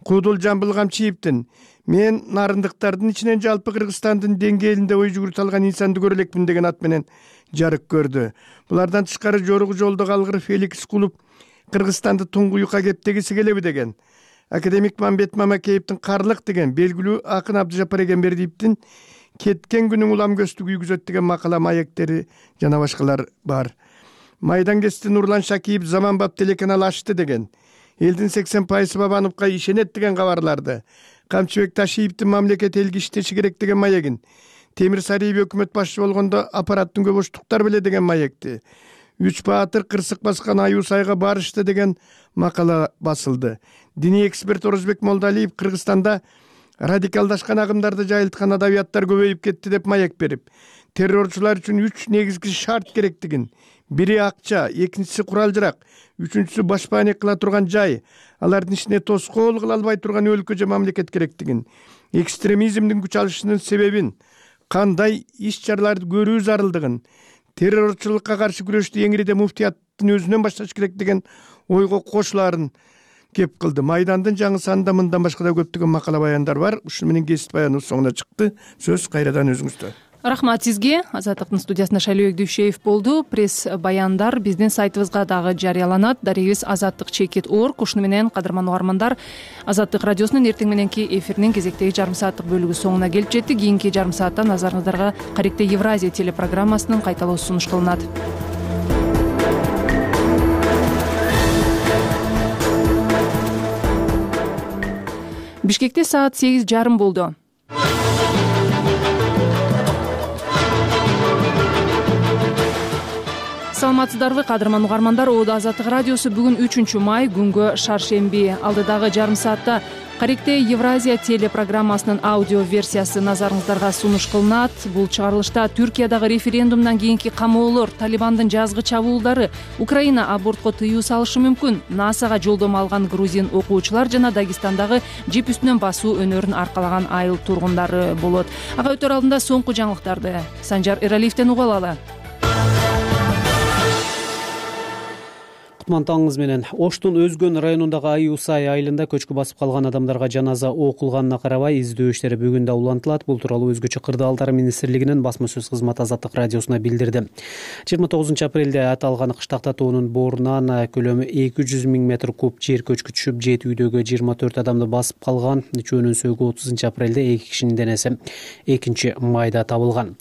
Куудул Жамбыл Камчиевдин мен нарындыктардын ичинен жалпы Кыргызстандын деңгээлинде ой жүгүртө алган инсанды көрө элекмин деген ат менен жарык көрдү. Булардан тышкары жоругу жолдо калгыр Феликс Кулуп Кыргызстанды туңгуюкка кептегиси келеби деген, академик Мамбет Мамакеевдин Карлык деген, белгилүү акын Абдыжапар Эгембердиевдин кеткен күнүң улам көстү күйгүзөт деген макала маектери жана башкалар бар. Майдан гезити Нурлан Шакиев заманбап телеканал ачты деген, элдин 80% Бабановго ишенет деген кабарларды, Камчыбек Ташиевдин мамлекет элге иштеши керек деген маегин, Темир Сариев өкмөт башчы болгондо аппараттын көбөштуктар беле деген маекти, Үч баатыр кырсык баскан аюу сайга барышты деген макала басылды. Диний эксперт Орозбек Молдалиев Кыргызстанда радикалдашкан агымдарды жайылткан адабияттар көбөйүп кетти деп маек берип, террорчулар үчүн 3 негизги шарт керектигин, бири акча, экинчиси курал-жарак, үчүнчүсү башпаанек кыла турган жай, алардын ишине тоскоол кыла албай турган өлкө же мамлекет керектигин, экстремизмдин күч алышынын себебин, кандай иш-чараларды көрүү зарылдыгын, террорчулукка каршы күрөштү эңириде муфтияттын өзүнөн башташ керек деген ойго кошулаарын кеп кылды. Майдандын жаңы санында мындан башка да көптөгөн макала баяндар бар. Ушуну менен кесип баяныбыз соңуна чыкты. Сөз кайрадан өзүңүздө. Рахмат сизге. Азаттыктын студиясында Шайлообек Дүйшеев болду. Пресс баяндар биздин сайтыбызга дагы жарыяланат. Дарегибиз azattik.org. Ушуну менен кадырман угармандар, Азаттык радиосунун эртең мененки эфиринин кезектеги жарым сааттык бөлүгү соңуна келип жетти. Кийинки жарым саатта назарыңыздарга Каректе Евразия телепрограммасынын кайталоосу сунуш кылынат. Бишкекте саат 8:30 болду. Саламатсыздарбы, кадырман угармандар. Азаттык радиосу бүгүн 3 май күнгө шаршемби. Алдыдагы жарым саатта Каректе Евразия телепрограммасынын аудио версиясы назарыңыздарга сунуш кылынат. Бул чыгарылышта Түркиядагы референдумдан кийинки камоолор, Талибандын жазгы чабуулдары, Украина абортко тыюу салышы мүмкүн, НАСАга жолдомо алган грузин окуучулар жана Дагестандагы жип үстүнөн басуу өнөрүн аркалаган айыл тургундары болот. Ага өтөр алдында соңку жаңылыктарды Санжар Эралиевден угуп алалы. Кутман таңыңыз менен. Оштун Өзгөн районундагы Аюсай айылында көчкү басып калган адамдарга жаназа окулганына карабай издөө иштери бүгүн да улантылат. Бул тууралуу Өзгөчө кырдаалдар министрлигинин басма сөз кызматы Азаттык радиосуна билдирди. 29 апрелде аталган кыштак татуунун боорунан көлөмү 200 000 метр куб жер көчкү түшүп, 7 үйдөгү 24 адамды басып калган. Үчөөнүн сөөгү 30 апрелде 2 кишинин денеси 2 майда табылган.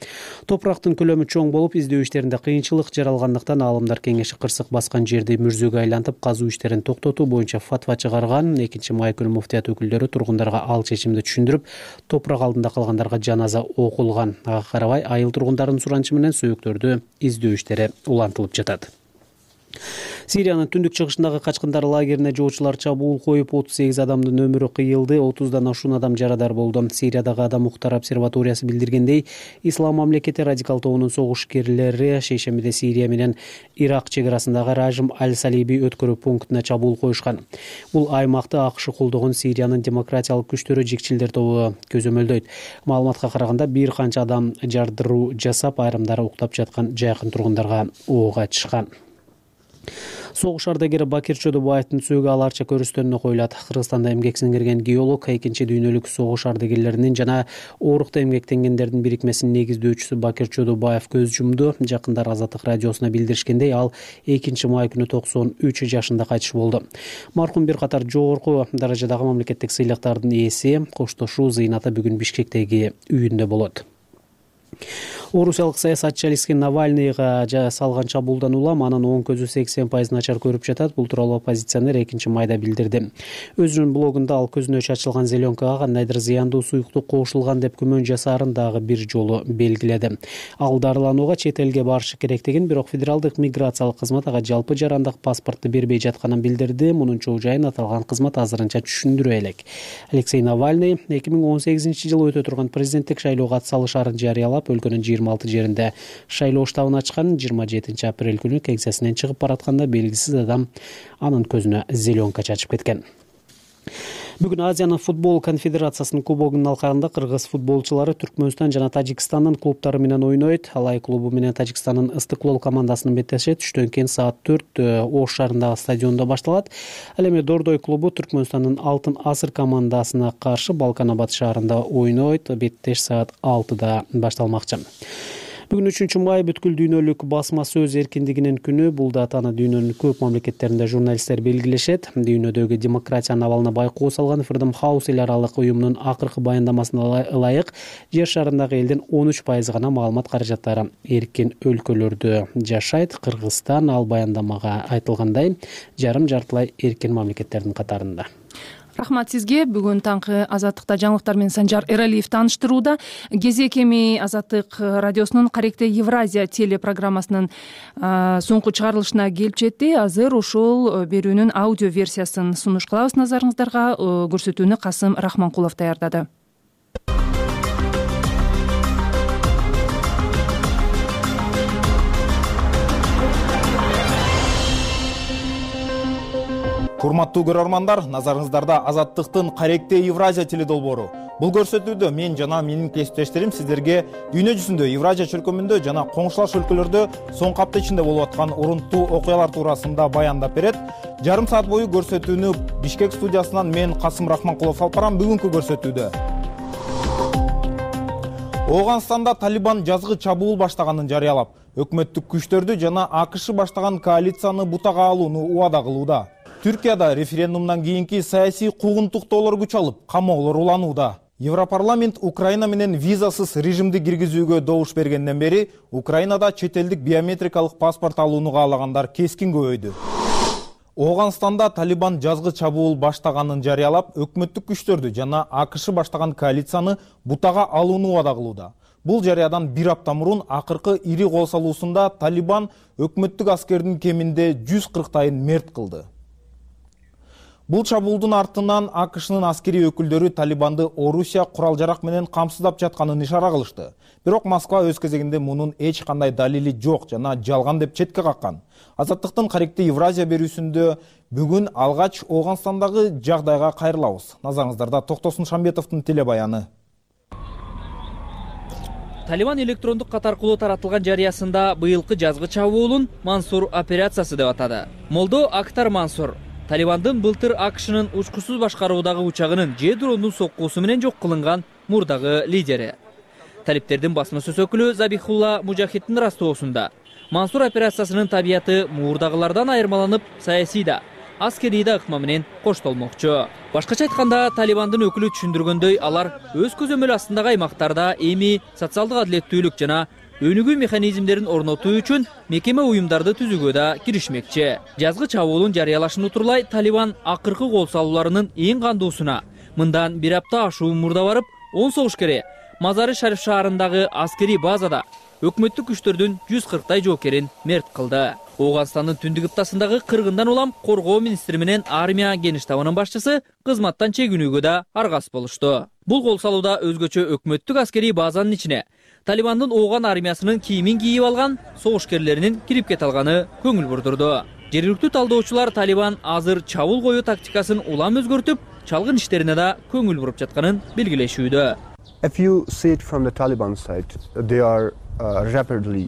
Топурактын көлөмү чоң болуп, издөө иштеринде кыйынчылык жаралгандыктан Аалымдар кеңеши кырсык баскан жерди мүрзөгө айлантып казуу иштерин токтотуу боюнча фатва чыгарган. 2 май күнү муфтият өкүлдөрү тургундарга ал чечимди түшүндүрүп, топурак алдында калгандарга жаназа окулган. Ага карабай айыл тургундарынын суранычы менен сөөктөрдү издөө иштери улантылып жатат. Сириянын түндүк чыгышындагы качкындар лагерине жоочулар чабуул коюп, 38 адамдын өмүрү кыйылды, 30дан ашуун адам жарадар болду. Сириядагы Адам укуктар обсерваториясы билдиргендей, Ислам мамлекети радикал тобунун согушкерлери шейшембиде Сирия менен Ирак чек арасындагы Ражим аль-Салиби өткөрүү пунктуна чабуул коюшкан. Бул аймакты АКШ колдогон Сириянын демократиялык күчтөрү жекчилдер тобу көзөмөлдөйт. Маалыматка караганда бир канча адам жардыруу жасап, айрымдары уктап жаткан жакын тургундарга ок ачышкан. Согуш ардагери Бакир Чодобаевдин сөөгү аларча көрүстөнүнө коюлат. Кыргызстанда эмгек сиңирген геолог, 2 дүйнөлүк согуш ардагерлеринин жана оорукта эмгектенгендердин бирикмесинин негиздөөчүсү Бакир Чодобаев көз жумду. Жакындар Азаттык радиосуна билдиришкендей, ал 2 май күнү 93 жашында кайтыш болду. Маркум бир катар жогорку даражадагы мамлекеттик сыйлыктардын ээси, коштошуу зыйнаты бүгүн Бишкектеги үйүндө болот. Орусиялык саясатчы Алексей Навальныйга салган чабуулдан улам анын оң көзү 80% начар көрүп жатат. Бул тууралуу оппозиционер 2 майда билдирди. Өзүнүн блогунда ал көзүнө чачылган зеленкага кандайдыр зыяндуу суюктук кошулган деп күмөн жасаарын дагы бир жолу белгиледи. Ал дарыланууга чет элге барышы керектигин, бирок федералдык миграциялык кызмат ага жалпы жарандык паспортту бербей жатканын билдирди. Мунун чоо жайын аталган кызмат азырынча түшүндүрө элек. Алексей Навальный 2018-жылы өтө турган президенттик шайлоого атсалышарын жарыялап, өлкөнүн 26 жеринде шайлоо штабын ачкан. 27 апрель күнү кеңсесинен чыгып баратканда белгисиз адам анын көзүнө зеленка чачып кеткен. Бүгүн Азиянын футбол конфедерациясынын кубогунун алкагында кыргыз футболчулары Түркмөнстан жана Тажикстандын клубтары менен ойнойт. Алай клубу менен Тажикстандын Ыстыклол командасынын беттеши түштөн кийин саат 4 Ош шаарындагы стадиондо башталат. Ал эми Дордой клубу Түркмөнстандын Алтын асыр командасына каршы Балканабад шаарында ойнойт. Беттеш саат 6-да башталмакчы. Бүгүн 3 май бүткүл дүйнөлүк басма сөз эркиндигинин күнү. Бул датаны дүйнөнүн көп мамлекеттеринде журналисттер белгилешет. Дүйнөдөгү демократиянын абалына байкоо салган Freedom House эл аралык уюмунун акыркы баяндамасына ылайык жер шарындагы элдин 13% гана маалымат каражаттары эркин өлкөлөрдө жашайт. Кыргызстан ал баяндамага айтылгандай жарым-жартылай эркин мамлекеттердин катарында. Рахмат сизге. Бүгүн таңкы Азаттыкта жаңылыктар менен Санжар Эралиев тааныштырууда. Кезек эми Азаттык радиосунун Каректе Евразия телепрограммасынын соңку чыгарылышына келип жетти. Азыр ошол берүүнүн аудио версиясын сунуш кылабыз назарыңыздарга. Көрсөтүүнү Касым Рахманкулов даярдады. Урматтуу көрөрмандар, назарыңыздарда Азаттыктын Каректе Евразия теледолбоору. Бул көрсөтүүдө мен жана менин кесиптештерим сиздерге дүйнө жүзүндө, Евразия чөлкөмүндө жана коңшулаш өлкөлөрдө соңку апта ичинде болуп аткан урунттуу окуялар туурасында баяндап берет. Жарым саат бою көрсөтүүнү Бишкек студиясынан мен Касым Рахманкулов алып барам. Бүгүнкү көрсөтүүдө Ооганстанда Талибан жазгы чабуул баштаганын жарыялап, өкмөттүк күчтөрдү жана АКШ баштаган коалицияны бутага алууну убада кылууда. Түркияда референдумдан кийинки саясий куугунтуктоолор күч алып, камоолор уланууда. Европарламент Украина менен визасыз режимди киргизүүгө добуш бергенден бери Украинада чет элдик биометрикалык паспорт алууну каалагандар кескин көбөйдү. Ооганстанда Талибан жазгы чабуул баштаганын жарыялап, өкмөттүк күчтөрдү жана АКШ баштаган коалицияны бутага алууну убада кылууда. Бул жарыядан бир апта мурун акыркы ири кол салуусунда Талибан өкмөттүк аскердин кеминде 140тайын мерт кылды. Бул чабуулдун артынан АКШнын аскери өкүлдөрү Талибанды Орусия курал-жарак менен камсыздап жатканын ишара кылышты. Бирок Москва өз кезегинде мунун эч кандай далили жок жана жалган деп четке каккан. Азаттыктын Каректе Евразия берүүсүндө бүгүн алгач Ооганстандагы жагдайга кайрылабыз. Назарыңыздарда Токтосун Шамбетовдун телебаяны. Талибан электрондук кат аркылуу таратылган жарыясында быйылкы жазгы чабуулун Мансур операциясы деп атады. Молдо Актар Мансур Талибандын былтыр АКШнын учкусуз башкаруудагы учагынын же дрондун соккуусу менен жок кылынган мурдагы лидери. Талиптердин басма сөз өкүлү Забихулла Мужахиддин растоосунда Мансур операциясынын табияты мурдагылардан айырмаланып, саясий да, аскерий да ыкма менен коштолмокчу. Башкача айтканда, Талибандын өкүлү түшүндүргөндөй, алар өз көзөмөл астындагы аймактарда эми социалдык адилеттүүлүк жана өнүгүү механизмдерин орнотуу үчүн мекеме уюмдарды түзүүгө да киришмекчи. Жазгы чабуулун жарыялашын утурлай Талибан акыркы кол салууларынын эң кандуусуна мындан бир апта ашуун мурда барып, 10 согушкери Мазары Шариф шаарындагы аскери базада өкмөттүк күчтөрдүн 140тай жоокерин мерт кылды. Ооганстандын түндүк ыптасындагы кыргындан улам коргоо министри менен армия генштабынын башчысы кызматтан чегинүүгө да аргас болушту. Бул кол салууда өзгөчө өкмөттүк аскери базанын ичине Талибандын Ооган армиясынын кийимин кийип алган согушкерлеринин кирип кете алганы көңүл бурдурду. Жергиликтүү талдоочулар Талибан азыр чабуул коюу тактикасын улам өзгөртүп, чалгын иштерине да көңүл буруп жатканын белгилешүүдө.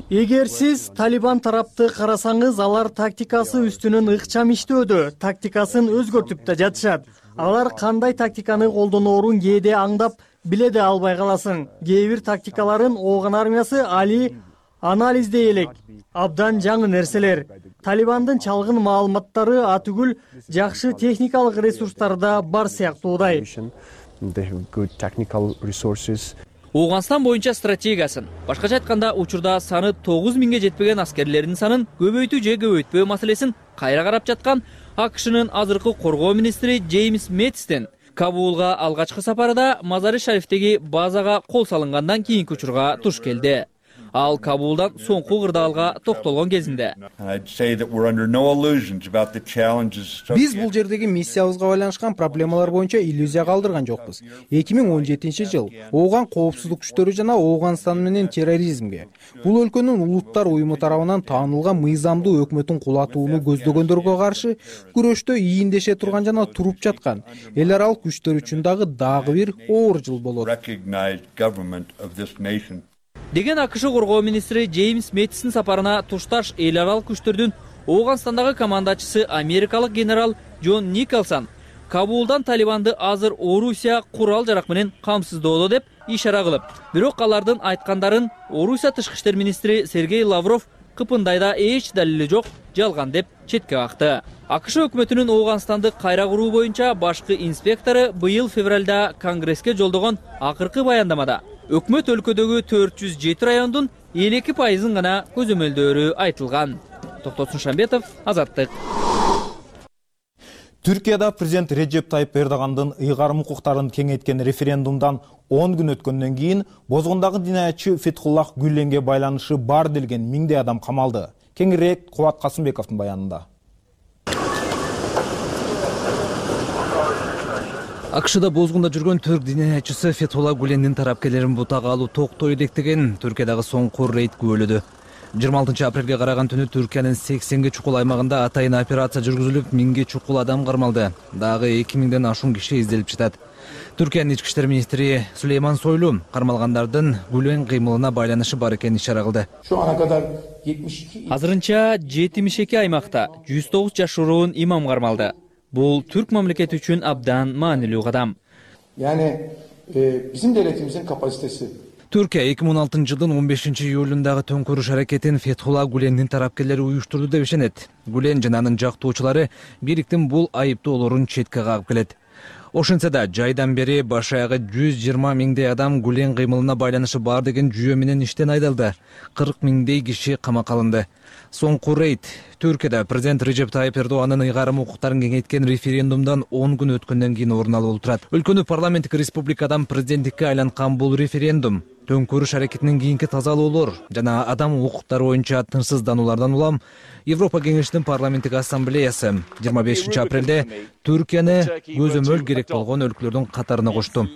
Эгер сиз Талибан тарапты карасаңыз, алар тактикасы үстүнөн ыкчам иштөөдө, тактикасын өзгөртүп да жатышат. Алар кандай тактиканы колдоноорун кээде аңдап биле де албай каласың. Кээ бир тактикаларын Ооган армиясы али анализдей элек. Абдан жаңы нерселер. Талибандын чалгын маалыматтары атүгүл жакшы техникалык ресурстары да бар сыяктуудай. Ооганстан боюнча стратегиясын, башкача айтканда учурда саны 9000ге жетпеген аскерлердин санын көбөйтүү же көбөйтпөө маселесин кайра карап жаткан АКШнын азыркы коргоо министри Джеймс Мэттистин Кабулга алгачкы сапарда Мазары Шарифтеги базага кол салынгандан кийинки учурга туш келди. Ал Кабулдан соңку кырдаалга токтолгон кезинде биз бул жердеги миссиябызга байланышкан проблемалар боюнча иллюзия калтырган жокпуз. 2017-жыл Ооган коопсуздук күчтөрү жана Ооганстан менен терроризмге, бул өлкөнүн улуттар уюму тарабынан таанылган мыйзамдуу өкмөтүн кулатууну көздөгөндөргө каршы күрөштө ийиндеше турган жана туруп жаткан эл аралык күчтөр үчүн дагы бир оор жыл болот деген АКШ коргоо министри Джеймс Мэттистин сапарына тушташ эл аралык күчтөрдүн Ооганстандагы командачысы америкалык генерал Джон Николсон Кабулдан Талибанды азыр Орусия курал-жарак менен камсыздоодо деп ишара кылып, бирок алардын айткандарын Орусия тышкы иштер министри Сергей Лавров кыпындайда эч далили жок, жалган деп четке какты. АКШ өкмөтүнүн Ооганстанды кайра куруу боюнча башкы инспектору быйыл февралда Конгресске жолдогон акыркы баяндамада өкмөт өлкөдөгү 407 райондун 52% гана көзөмөлдөөрү айтылган. Токтосун Шамбетов, Азаттык. Түркияда президент Реджеп Тайып Эрдогандын ыйгарым укуктарын кеңейткен референдумдан 10 күн өткөндөн кийин бозгондагы динаятчы Фетхуллах Гүленге байланышы бар делген миңдей адам камалды. Кеңирээк Кубат Касымбековдун баянында. АКШда бозгунда жүргөн түрк динаятчысы Фетхуллах Гүлендин тарапкерлерин бутага алуу токтой элек деген Түркиядагы соңку рейд күбөлөдү. 26 апрелге караган түнү Түркиянын 80 чукул аймагында атайын операция жүргүзүлүп, 1000 чукул адам кармалды. Дагы 2000ден ашуун киши изделип жатат. Түркиянын ички иштер министри Сулейман Сойлу кармалгандардын Гүлен кыймылына байланышы бар экенин ишара кылды. Азырынча 72 аймакта 109 жашыруун имам кармалды. Бул түрк мамлекети үчүн абдан маанилүү кадам. Bizim devletimizin kapasitesi. Түркия 2016 жылдын 15 июлундагы төңкөрүш аракетин Фетхулла Гүлендин тарапкерлери уюштурду деп ишенет. Гүлен жана анын жактоочулары бийликтин бул айыптоолорун четке кагып келет. Ошентсе да жайдан бери баш аягы 120 миңдей адам Гүлен кыймылына байланышы бар деген жүйө менен иштен айдалды. 40 миңдей киши камакка алынды. Соңку рейд Түркияда президент Режеп Тайып Эрдоганын ыйгарым укуктарын кеңейткен референдумдан 10 күн өткөндөн кийин орун алып турат. Өлкөнү парламенттик республикадан президенттикке айланткан бул референдум төңкөрүш аракетинин кийинки тазалоолор жана адам укуктары боюнча тынчсыздануулардан улам Европа кеңешинин парламенттик ассамблеясы 25 апрелде Түркияны көзөмөл керек болгон өлкөлөрдүн катарына кошту.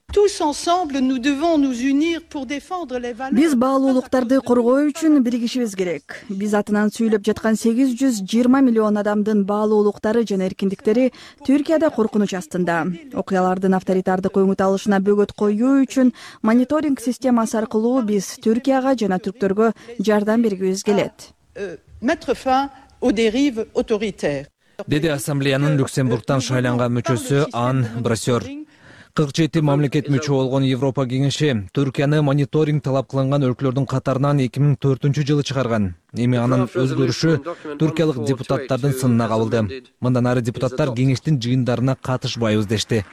Биз баалуулуктарды коргоо үчүн биригишибиз керек. Биз атынан сүйлөп жаткан 820 миллион адамдын баалуулуктары жана эркиндиктери Түркияда коркунуч астында. Окуялардын авторитардык өңүт алышына бөгөт коюу үчүн мониторинг системасы аркылуу биз Түркияга жана түрктөргө жардам бергибиз келет. Деди ассамблеянын Люксембургтан шайланган мүчөсү Ан Брасер. 47 мамлекет мүчө болгон Европа кеңеши Түркияны мониторинг талап кылынган өлкөлөрдүн катарынан 2004 жылы чыгарган. Эми анын өзгөрүшү түркиялык депутаттардын сынына кабылды. Мындан ары депутаттар кеңештин жыйындарына катышпайбыз дешти.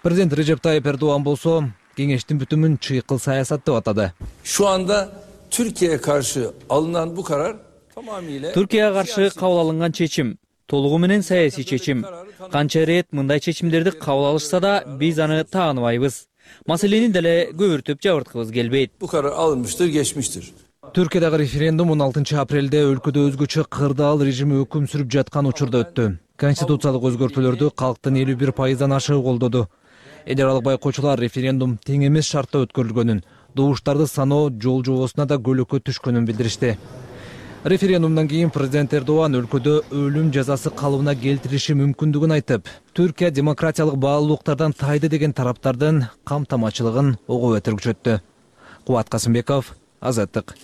Президент Режеп Тайып Эрдоган болсо кеңештин бүтүмүн чыйкыл саясат деп атады. Şu anda Türkiye'ye karşı alınan bu karar tamamıyla Türkiye'ye karşı kabul alıngan çeçim толугу менен саясий чечим. Канча ирет мындай чечимдерди кабыл алышса да биз аны тааныбайбыз. Маселени деле көбүртүп жабырткыбыз келбейт. Bu karar alınmıştır, geçmiştir. Түркиядагы референдум 16 апрелде өлкөдө өзгөчө кырдаал режими өкүм сүрүп жаткан учурда өттү. Конституциялык өзгөртүүлөрдү калктын 51%-дан ашыгы колдоду. Эл аралык байкоочулар референдум тең эмес шартта өткөрүлгөнүн, добуштарды саноо жол жобосуна да көлөкө түшкөнүн билдиришти. Референдумдан кийин президент Эрдоган өлкөдө өлүм жазасы калыбына келтириши мүмкүндүгүн айтып, Түркия демократиялык баалуулуктардан тайды деген тараптардын камтамачылыгын ого бетер күчөттү. Кубат Касымбеков, Азаттык.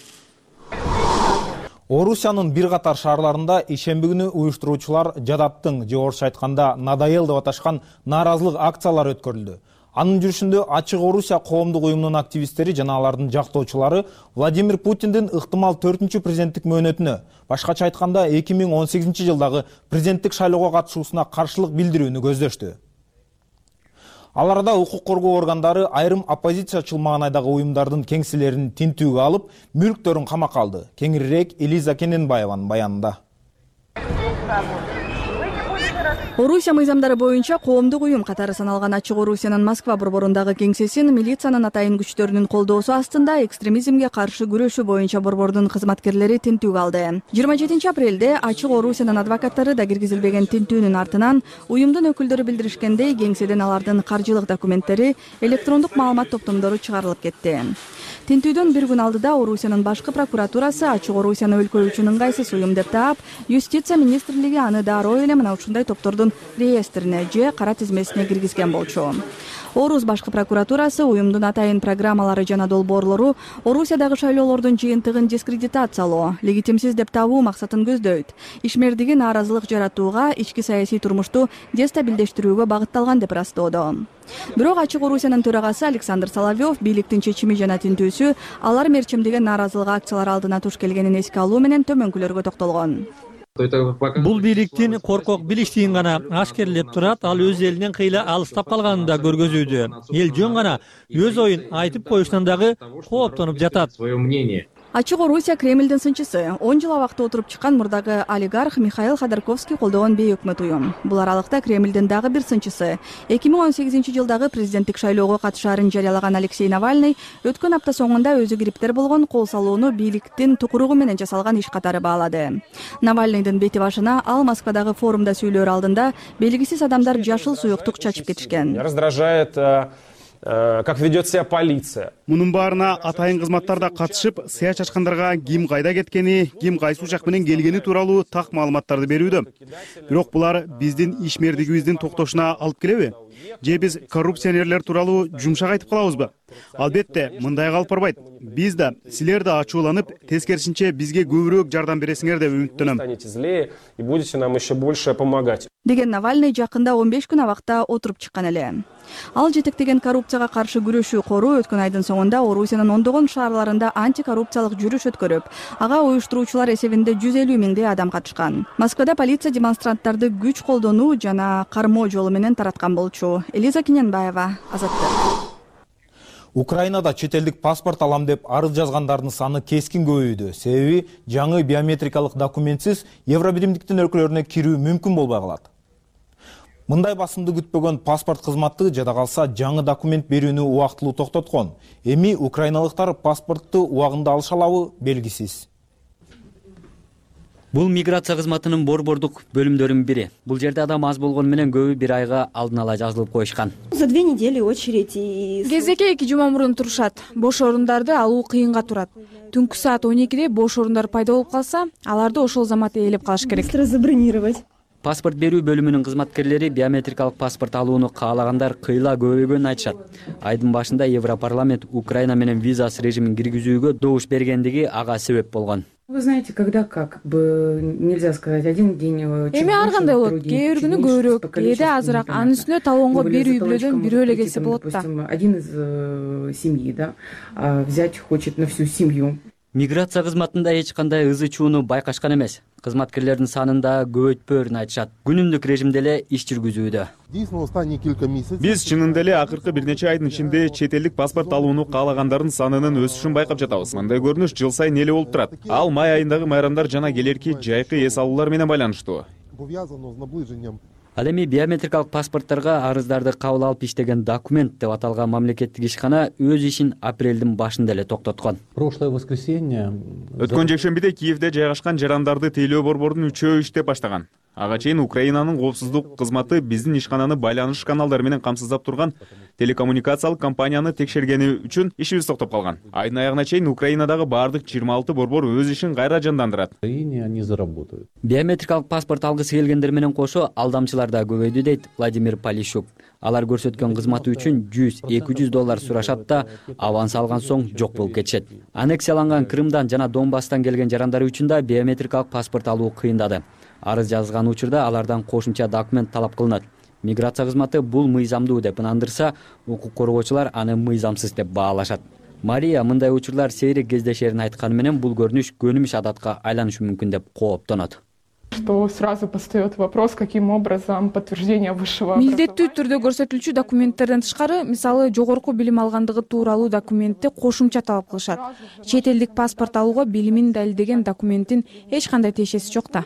Орусиянын бир катар шаарларында ишемби күнү уюштуруучулар жадаттың же орусча айтканда надоел деп аташкан нааразылык акциялары өткөрүлдү. Анын жүрүшүндө Ачык Орусия коомдук уюмунун активисттери жана алардын жактоочулары Владимир Путиндин ыктымал 4-чү президенттик мөөнөтүнө, башкача айтканда 2018 жылдагы президенттик шайлоого катышуусуна каршылык билдирүүнү көздөштү. Аларда укук коргоо органдары айрым оппозициячыл маанайдагы уюмдардын кеңселерин тинтүүгө алып, мүлктөрүн камакка алды. Кеңирирээк Элиза Кененбаеванын баянында. Орусия мыйзамдары боюнча коомдук уюм катары саналган Ачык Орусиянын Москва борборундагы кеңсесин милициянын атайын күчтөрүнүн колдоосу астында экстремизмге каршы күрөшүү боюнча борбордун кызматкерлери тинтүүгө алды. 27 апрелде Ачык Орусиянын адвокаттары да киргизилбеген тинтүүнүн артынан уюмдун өкүлдөрү билдиришкендей, кеңседен алардын каржылык документтери, электрондук маалымат топтомдору чыгарылып кетти. Тинтүүдөн бир күн алдыда Орусиянын башкы прокуратурасы Ачык Орусияны өлкө үчүн ыңгайсыз уюм деп таап, Юстиция министрлиги аны дароо эле мына ушундай топтордун реестрине же кара тизмесине киргизген болчу. Орус башкы прокуратурасы уюмдун атайын программалары жана долбоорлору Орусиядагы шайлоолордун жыйынтыгын дискредитациялоо, легитимсиз деп табуу максатын көздөйт. Ишмердиги нааразылык жаратууга, ички саясий турмушту дестабилдештирүүгө багытталган деп ырастоодо. Бирок Ачык Орусиянын төрагасы Александр Соловьев бийликтин чечими жана тинтүүсү алар мерчимдеген нааразылык акциялар алдына туш келгенин эске алуу менен төмөнкүлөргө токтолгон. Бул бийликтин коркок билиштигин гана ашкерлеп турат, ал өз элинен кыйла алыстап калганын да көргөзүүдө. Эл жөн гана өз оюн айтып коюштан дагы кооптонуп жатат. Ачык Орусия Кремлдин сынчысы 10 жыл абакта отуруп чыккан мурдагы олигарх Михаил Ходорковский колдогон бейөкмөт уюм. Бул аралыкта Кремлдин дагы бир сынчысы 2018 жылдагы президенттик шайлоого катышаарын жарыялаган Алексей Навальный өткөн апта соңунда өзү криптер болгон кол салууну бийликтин тукуругу менен жасалган иш катары баалады. Навальныйдын бети башына ал Москвадагы форумда сүйлөөр алдында белгисиз адамдар жашыл суюктук чачып кетишкен. Раздражает как ведет себя полиция. Мунун баарына атайын кызматтар да катышып, сыя чачкандарга ким кайда кеткени, ким кайсы учак менен келгени тууралуу так маалыматтарды берүүдө. Бирок булар биздин ишмердигибиздин токтошуна алып келеби? Же биз коррупционерлер тууралуу жумшак айтып калабызбы? Албетте, мындай калып барбайт. Биз да, силер да ачууланып, тескерисинче бизге көбүрөөк жардам бересиңер деп үмүттөнөм. Станете злее и будете нам еще больше помогать. Деген Навальный жакында 15 күн абакта отуруп чыккан эле. Ал жетектеген коррупцияга каршы күрөшүү кору өткөн айдын соңунда Орусиянын ондогон шаарларында антикоррупциялык жүрүш өткөрүп, ага уюштуруучулар эсебинде 150 миңдей адам катышкан. Москвада полиция демонстранттарды күч колдонуу жана кармоо жолу менен тараткан болчу. Элиза Кененбаева, Азаттык. Украинада чет элдик паспорт алам деп арыз жазгандардын саны кескин көбөйдү. Себеби жаңы биометрикалык документсиз Евробиримдиктин өлкөлөрүнө кирүү мүмкүн болбой калат. Мындай басымды күтпөгөн паспорт кызматы жада калса жаңы документ берүүнү убактылуу токтоткон. Эми украиналыктар паспортту убагында алыша алабы белгисиз. Бул миграция кызматынын борбордук бөлүмдөрүнүн бири. Бул жерде адам аз болгону менен көбү бир айга алдын ала жазылып коюшкан. За 2 недели очередь. Кезекке 2 жума мурун турушат. Бош орундарды алуу кыйынга турат. Түнкү саат 12де бош орундар пайда болуп калса, аларды ошол замат ээлеп калыш керек. Быстро забронировать. Паспорт берүү бөлүмүнүн кызматкерлери биометрикалык паспорт алууну каалагандар кыйла көбөйгөнүн айтышат. Айдын башында Европарламент Украина менен визасыз режимин киргизүүгө добуш бергендиги ага себеп болгон. Вы знаете, когда как бы нельзя сказать один день. Эми ар кандай болот? Кээ бир күнү көбүрөөк, кээде азыраак. Анын үстүнө талоонго бир үй бүлөдөн бирөө эле келсе болот да. Один из семьи, да, взять хочет на всю семью. Миграция кызматында эч кандай ызы чууну байкашкан эмес. Кызматкерлердин санында көбөйтпөөрүн айтышат. Күнүмдүк режимде эле иш жүргүзүүдө. Биз чынында эле акыркы бир нече айдын ичинде чет элдик паспорт алууну каалагандардын санынын өсүшүн байкап жатабыз. Мындай көрүнүш жыл сайын эле болуп турат. Ал май айындагы майрамдар жана келерки жайкы эс алуулар менен байланыштуу. Ал эми биометрикалык паспортторго арыздарды кабыл алып иштеген документ деп аталган мамлекеттик ишкана өз ишин апрелдин башында эле токтоткон. Өткөн жекшембиде Киевде жайгашкан жарандарды тейлөө борборунун 3-өө иштеп баштаган. Ага чейин Украинанын коопсуздук кызматы биздин ишкананы байланыш каналдары менен камсыздап турган телекоммуникациялык компанияны текшергени үчүн ишибиз токтоп калган. Айдын аягына чейин Украинадагы баардык 26 борбор өз ишин кайра жандандырат. Биометрикалык паспорт алгысы келгендер менен кошо алдамчылар да көбөйдү дейт Владимир Полищук. Алар көрсөткөн кызматы үчүн $100-200 сурашат да аванс алган соң жок болуп кетишет. Аннексияланган Крымдан жана Донбасстан келген жарандар үчүн да биометрикалык паспорт алуу кыйындады. Арыз жазган учурда алардан кошумча документ талап кылынат. Миграция кызматы бул мыйзамдуу деп ынандырса, укук коргоочулар аны мыйзамсыз деп баалашат. Мария мындай учурлар сейрек кездешерин айтканы менен бул көрүнүш көнүмүш адатка айланышы мүмкүн деп кооптонот. Что сразу постает вопрос, каким образом подтверждение высшего образования. Милдеттүү түрдө көрсөтүлчү документтерден тышкары, мисалы жогорку билим алгандыгы тууралуу документти кошумча талап кылышат. Чет элдик паспорт алууга билимин далилдеген документтин эч кандай тиешеси жок да.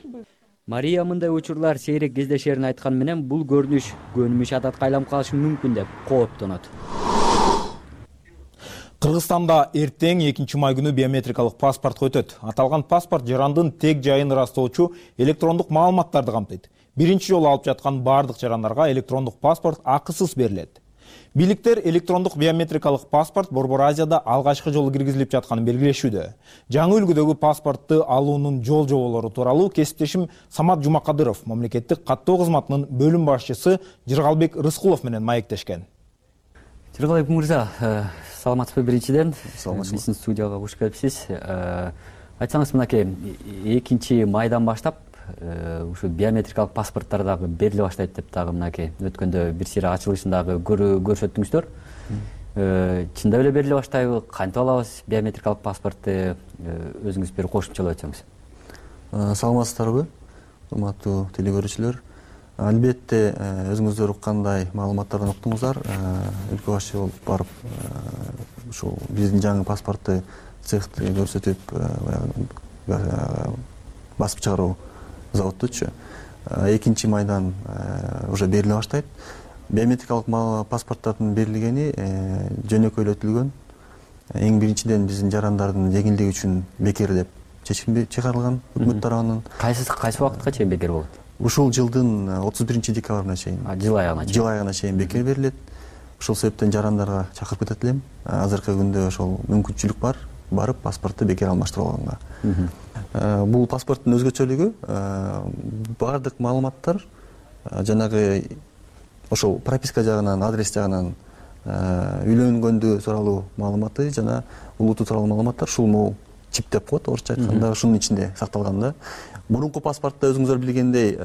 Мария мындай учурлар сейрек кездешерин айтканы менен бул көрүнүш көнүмүш адатка айланып калышы мүмкүн деп кооптонот. Кыргызстанда эртең 2 май күнү биометрикалык паспортко өтөт. Аталган паспорт жарандын тег жайын ырастоочу электрондук маалыматтарды камтыйт. Биринчи жолу алып жаткан бардык жарандарга электрондук паспорт акысыз берилет. Бийликтер электрондук биометрикалык паспорт Борбор Азияда алгачкы жолу киргизилип жатканын белгилешүүдө. Жаңы үлгүдөгү паспортту алуунун жол жоболору тууралуу кесиптешим Самат Жумакадыров мамлекеттик каттоо кызматынын бөлүм башчысы Жыргалбек Рыскулов менен маектешкен. Жыргалбек мырза, саламатсызбы биринчиден? Биздин студияга кош келипсиз. Айтсаңыз мынакей 2 майдан баштап ушу биометрикалык паспорттор дагы бериле баштайт деп дагы мынакей өткөндө бир сыйра ачылышындагы көрсөттүңүздөр. Чындап эле бериле баштайбы? Кантип алабыз биометрикалык паспортты? Өзүңүз бир кошумчалап өтсөңүз. Саламатсыздарбы, урматтуу телекөрүүчүлөр. Албетте өзүңүздөр уккандай маалыматтардан уктуңуздар. Өлкө башчы болуп барып ушул биздин жаңы паспортты цехти көрсөтүп басып чыгаруу заводтучу 2 майдан уже бериле баштайт. Биометрикалык паспорттардын берилгени жөнөкөйлөтүлгөн. Эң биринчиден биздин жарандардын жеңилдиги үчүн бекер деп чечим чыгарылган өкмөт тарабынан. Кайсы убакытка чейин бекер болот? Ушул жылдын 31 декабрына чейин. Жыл аягына чейин бекер берилет. ошол себептен жарандарга чакырып кетет элем. Азыркы күндө ошол мүмкүнчүлүк бар, барып паспортты бекер алмаштырып алганга. Бул паспорттун өзгөчөлүгү баардык маалыматтар жанагы ошол прописка жагынан, адрес жагынан, үйлөнгөндү тууралуу маалыматы жана улуту тууралуу маалыматтар ушул могу чип деп коет орусча айтканда, ушунун ичинде сакталган да. Мурунку паспортто өзүңүздөр билгендей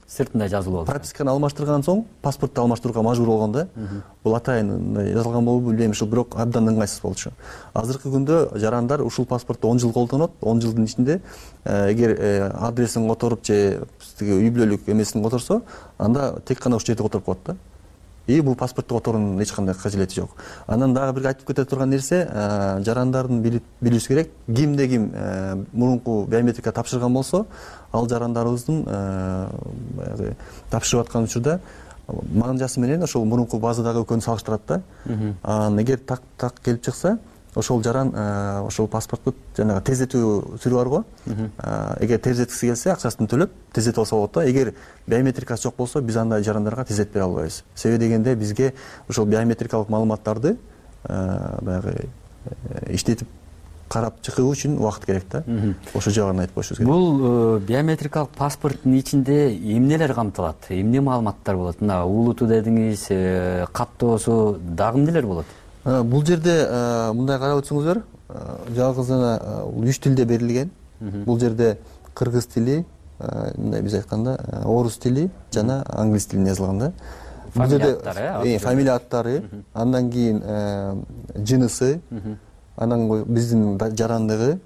сыртында жазылып алат. Прописканы алмаштырган соң паспортты алмаштырууга мажбур болгон да. Бул атайын жазылган болобу билбейм, ушул бирок абдан ыңгайсыз болчу. Азыркы күндө жарандар ушул паспортто 10 жыл колдонот. 10 жылдын ичинде эгер адресин которуп же үй бүлөлүк эмесин которсо, анда тек гана ушул жерде которуп коет да. И бул паспортту которуунун эч кандай кажети жок. Анан дагы бир айтып кете турган нерсе, жарандардын билиши керек, кимде ким мурунку биометрика тапшырган болсо, ал жарандарыбыздын тапшырып аткан учурда манжасы менен ошол мурунку базадагы экөөнү салыштырат да. Эгер так келип чыкса, ошол жаран ошол паспортту жанагы тездетүү түрү бар го. Эгер тездеткиси келсе, акчасын төлөп тездетип алса болот да. Эгер биометрикасы жок болсо, биз андай жарандарга тездетпей албайбыз. Себеби дегенде бизге ошол биометрикалык маалыматтарды баягы иштетип карап чыгуу үчүн убакыт керек да. Ошол жагын айтып коюшубуз керек. Бул биометрикалык паспорттун ичинде эмнелер камтылат? Эмне маалыматтар болот? Мына улуту дедиңиз, каттоосу дагы эмнелер болот? Бул жерде мындай карап өтсөңүздөр, жалгыз гана 3 тилде берилген. Бул жерде кыргыз тили, мындай биз айтканда орус тили жана англис тилинде жазылган да. Бул жерде фамилия аттары, андан кийин жынысы, анан биздин жарандыгы,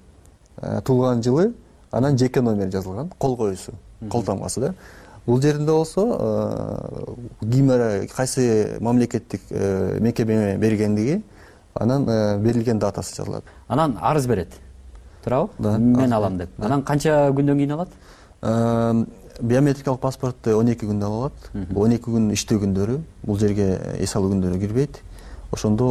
туулган жылы, анан жеке номер жазылган, кол коюусу, кол тамгасы да. Бул жеринде болсо кайсы мамлекеттик мекеме бергендиги, анан берилген датасы жазылат. Анан арыз берет. Туурабы? Мен алам деп. Анан канча күндөн кийин алат? Биометрикалык паспортты 12 күндө алат. 12 күн иштөө күндөрү, бул жерге эс алуу күндөрү кирбейт. Ошондо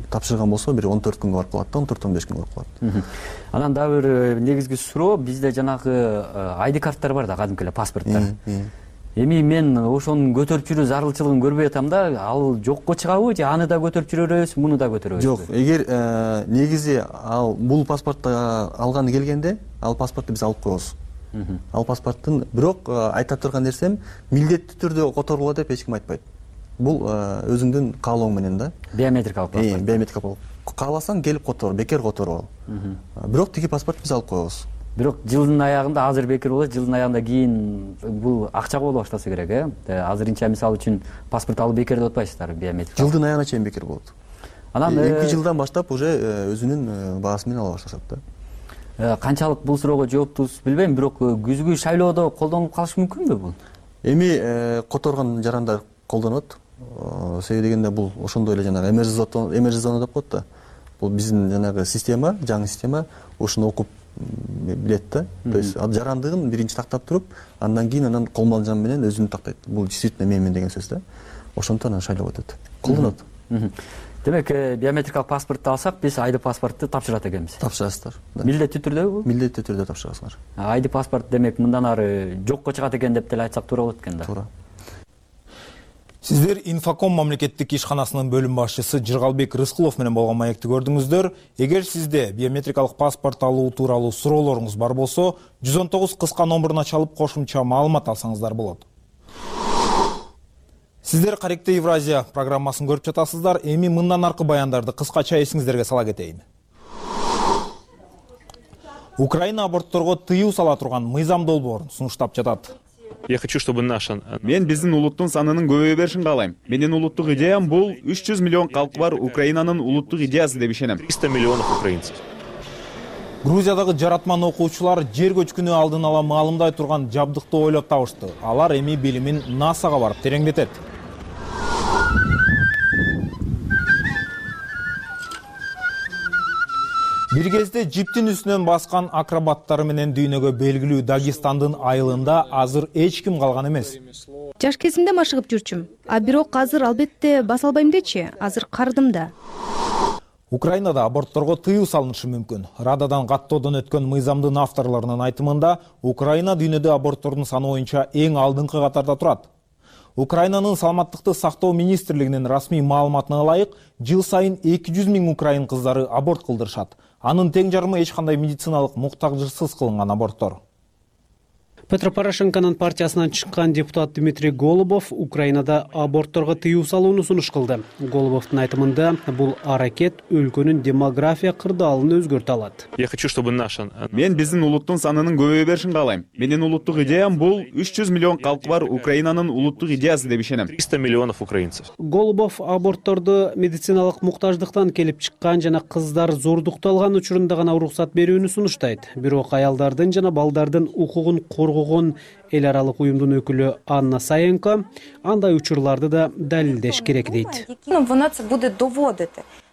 тапшырган болсо бир 14 күнгө барып калат да, 14-15 күнгө барып калат. Анан дагы бир негизги суроо, бизде жанагы ID карттар бар да, кадимки эле паспорттар. Эми мен ошонун көтөрүп жүрүү зарылчылыгын көрбөй атам да, ал жокко чыгабы же аны да көтөрүп жүрөбүз, муну да көтөрөбүз? Жок, эгер негизи ал бул паспортты алганы келгенде, ал паспортты биз алып коебуз. Ал паспорттун, бирок айта турган нерсем, милдеттүү түрдө которулат деп эч ким айтпайт. Бул өзүңдүн каалооң менен да. Биометрикалык паспорт. Биометрикалык. Кааласаң келип котор, бекер которуп ал. Бирок тиги паспортты биз алып коебуз. Бирок жылдын аягында азыр бекер болот, жылдын аягында кийин бул акчага боло баштаса керек, Азырынча мисалы үчүн паспорт алып бекер деп атпайсыздар, биометрик. Жылдын аягына чейин бекер болот. Анан 2 жылдан баштап уже өзүнүн баасы менен ала башташат да. Канчалык бул суроого жооптусуз билбейм, бирок күзгү шайлоодо колдонулуп калышы мүмкүнбү бул? Эми которгон жарандар колдонот. Себеби дегенде бул ошондой эле жанагы эмерж зона деп коет да. Бул биздин жанагы система, жаңы система ошону окуп билет да. То есть жарандыгын биринчи тактап туруп, андан кийин анан колмалжан менен өзүн тактайт. Бул действительно менмен деген сөз да. Ошондон анан шайлоо өтөт. Колдонот. Демек, биометрикалык паспортду алсак, биз ID паспортту тапшырат экенбиз. Тапшырасыздар. Милдеттүү түрдө бул? Милдеттүү түрдө тапшырасыңар. ID паспорт демек мындан ары жокко чыгат экен деп деле айтсак туура болот экен да. Туура. Сиздер Инфоком мамлекеттик ишканасынын бөлүм башчысы Жыргалбек Рыскулов менен болгон маекти көрдүңүздөр. Эгер сизде биометрикалык паспорт алуу тууралуу суроолоруңуз бар болсо, 119 кыска номуруна чалып кошумча маалымат алсаңыздар болот. Сиздер Каректе Евразия программасын көрүп жатасыздар. Эми мындан аркы баяндарды кыскача эсиңиздерге сала кетейин. Украина абортторго тыюу сала турган мыйзам долбоорун сунуштап жатат. Я хочу, чтобы Мен биздин улуттун санынын көбөйө беришин каалайм. Менин улуттук идеям бул 300 миллион калкы бар Украинанын улуттук идеясы деп ишенем. 300 миллионов украинцев. Грузиядагы жаратман окуучулар жер көчкүнү алдын ала маалымдай турган жабдыкты ойлоп табышты. Алар эми билимин НАСАга барып тереңдетет. Бир кезде жиптин үстүнөн баскан акробаттары менен дүйнөгө белгилүү Дагестандын айылында азыр эч ким калган эмес. Жаш кезимде машыгып жүрчүм, бирок азыр албетте баса албайм дечи, азыр карыдым да. Украинада абортторго тыюу салынышы мүмкүн. Рададан каттоодон өткөн мыйзамдын авторлорунун айтымында, Украина дүйнөдө аборттордун саны боюнча эң алдыңкы катарда турат. Украинанын саламаттыкты сактоо министрлигинин расмий маалыматына ылайык, жыл сайын 200 000 украин кыздары аборт кылдырышат. Анын тең жарымы эч кандай медициналык муктажсыз кылынган аборттор. Петро Порошенконун партиясынан чыккан депутат Дмитрий Голубов Украинада абортторго тыюу салууну сунуш кылды. Голубовдун айтымында бул аракет өлкөнүн демография кырдаалын өзгөртө алат. Я хочу, чтобы мен биздин улуттун санынын көбөйө беришин каалайм. Менин улуттук идеям бул 300 миллион калкы бар Украинанын улуттук идеясы деп ишенем. 300 миллионов украинцев. Голубов абортторду медициналык муктаждыктан келип чыккан жана кыздар зордукталган учурунда гана уруксат берүүнү сунуштайт. Бирок аялдардын жана балдардын укугун коргогон эл аралык уюмдун өкүлү Анна Саенко андай учурларды да далилдеш керек дейт.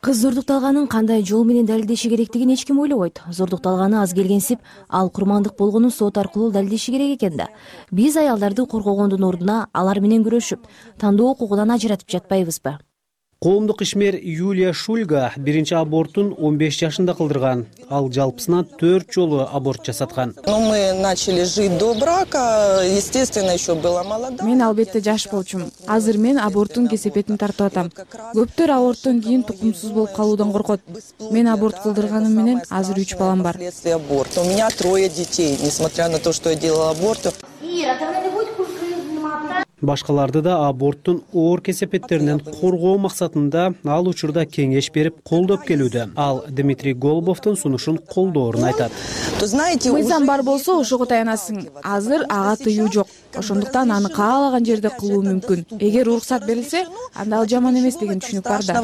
Кыз зордукталганын кандай жол менен далилдеши керектигин эч ким ойлобойт. Зордукталганы аз келгенсип, ал курмандык болгонун сот аркылуу далилдеши керек экен да. Биз аялдарды коргогондун ордуна алар менен күрөшүп, тандоо укугунан ажыратып жатпайбызбы? Коомдук ишмер Юлия Шульга биринчи абортун 15 жашында кылдырган. Ал жалпысынан 4 жолу аборт жасаткан. Мен албетте жаш болчумун. Азыр мен аборттун кесепетин тартып атам. Көптөр аборттон кийин тукумсуз болуп калуудан коркот. Мен аборт кылдырганым менен азыр 3 балам бар. У меня 3 детей, несмотря на то, что я делала аборт. Башкаларды да аборттун оор кесепеттеринен коргоо максатында ал учурда кеңеш берип колдоп келүүдө. Ал Дмитрий Голубовдун сунушун колдоорун айтат. Мыйзам бар болсо ошого таянасың. Азыр ага тыюу жок. Ошондуктан аны каалаган жерде кылуу мүмкүн. Эгер уруксат берилсе, анда ал жаман эмес деген түшүнүк бар да.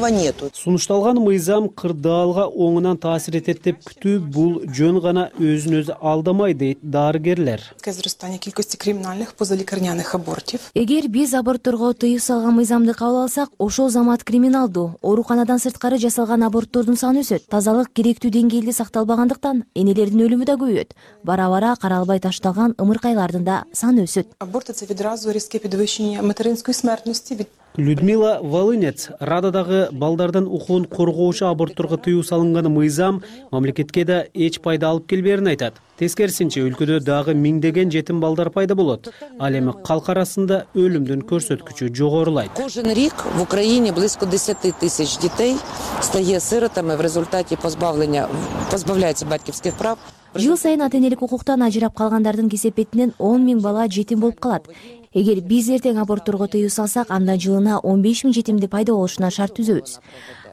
Сунушталган мыйзам кырдаалга оңунан таасир этет деп күтүү бул жөн гана өзүн өзү алдамай дейт дарыгерлер. Эгер биз абортторго тыюу салган мыйзамды кабыл алсак, ошол замат криминалдуу, ооруканадан сырткары жасалган аборттордун саны өсөт. Тазалык керектүү деңгээлде сакталбагандыктан энелердин өлүмү да көбөйөт. Бара-бара каралбай ташталган ымыркайлардын да саны өсөт. Людмила Волынец Рададагы балдардын укугун коргоочу абортторго тыюу салынган мыйзам мамлекетке да эч пайда алып келбээрин айтат. Тескерисинче өлкөдө дагы миңдеген жетим балдар пайда болот. Ал эми калк арасында өлүмдүн көрсөткүчү жогорулайт. Кожен рік в Україні близько 10 тисяч дітей стає сиротами в результаті позбавляється батьківських прав. Жыл сайын ата-энелик укуктан ажырап калгандардын кесепетинен 10 000 бала жетим болуп калат. Эгер биз эртең абортторго тыюу салсак, анда жылына 15 000 жетимди пайда болушуна шарт түзөбүз.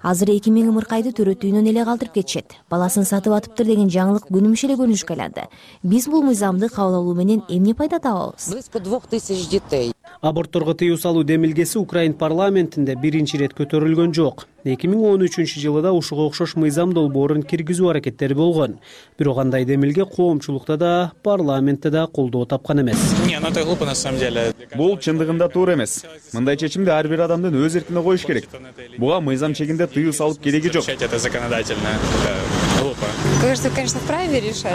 Азыр 2000 ымыркайды төрөтүүнөн эле калтырып кетишет. Баласын сатып атыптыр деген жаңылык күнүмүш эле көрүнүшкө айланды. Биз бул мыйзамды кабыл алуу менен эмне пайда табабыз? Близько 2000 дітей. Абортторго тыюу салуу демилгеси Украин парламентинде биринчи ирет көтөрүлгөн жок. 2013-жылы да ушуга окшош мыйзам долбоорун киргизүү аракеттери болгон. Бирок андай демилге коомчулукта да, парламентте да колдоо тапкан эмес. Бул чындыгында туура эмес. Мындай чечимди ар бир адамдын өз эркине коюш керек. Буга мыйзам чегинде тыюу салып кереги жок.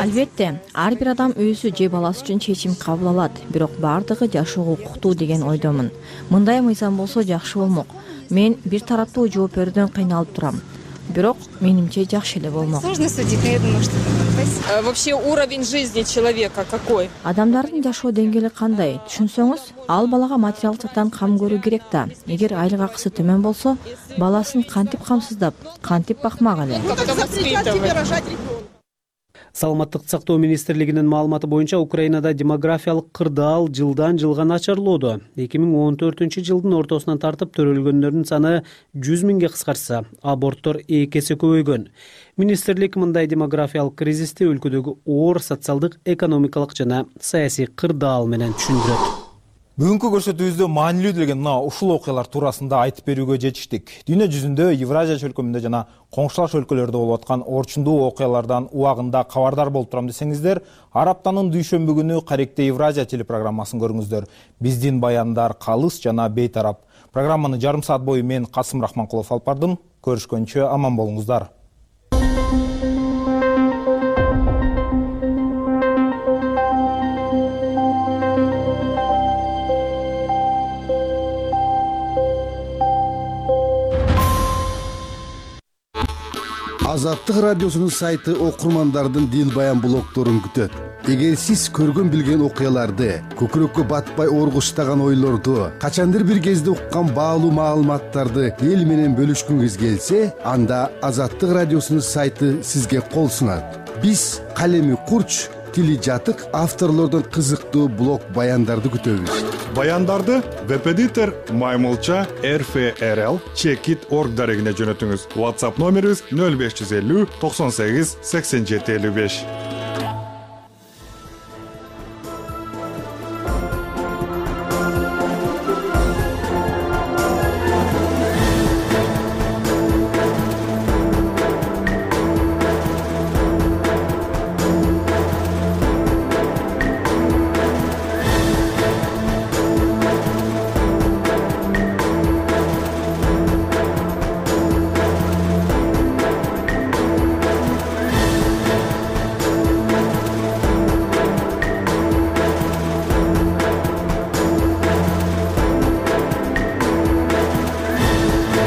Албетте, ар бир адам өзү же баласы үчүн чечим кабыл алат. Бирок бардыгы жашоого укуктуу деген ойдомун. Мындай мыйзам болсо жакшы болмок. Мен бир тараптуу жооп берүүдөн кыйналып турам. Бирок менимче жакшы эле болмок. Сложно судить, но я думаю, что вообще уровень жизни человека какой? Адамдардын жашоо деңгээли кандай? Түшүнсөңүз, ал балага материалдык жактан кам көрүү керек да. Эгер айлык акысы төмөн болсо, баласын кантип камсыздап, кантип бакмак эле? Саламаттыкты сактоо министрлигинин маалыматы боюнча Украинада демографиялык кырдаал жылдан жылга начарлоодо. 2014-жылдын ортосунан тартып төрөлгөндөрдүн саны 100 000ге кыскарса, аборттор 2 эсе көбөйгөн. Министрлик мындай демографиялык кризисти өлкөдөгү оор социалдык, экономикалык жана саясий кырдаал менен түшүндүрөт. Бүгүнкү көрсөтүүбүздө маанилүү деген ушул окуялар туурасында айтып берүүгө жетиштик. Дүйнө жүзүндө, Евразия чөлкөмүндө жана коңшулаш өлкөлөрдө болуп аткан орчундуу окуялардан убагында кабардар болуп турам десеңиздер, ар аптанын дүйшөмбү күнү Каректе Евразия телепрограммасын көрүңүздөр. Биздин баяндар калыс жана бейтарап. Программаны жарым саат бою мен Касым Рахманкулов алып бардым. Көрүшкөнчө аман болуңуздар. Азаттык радиосунун сайты окурмандардын дил баян блогторун күтөт. эгер сиз көргөн билген окуяларды, көкүрөккө батпай оргуштаган ойлорду, качандыр бир кезде уккан баалуу маалыматтарды эл менен бөлүшкүңүз келсе, анда Азаттык радиосунун сайты сизге кол сунат. Биз калеми курч, тили жатык авторлордон кызыктуу блог баяндарды күтөбүз. Баяндарды веб-эдитор Маймылча RFRL Checkit.org дарегине жөнөтүңүз. WhatsApp номерибиз 0550 98 87 55.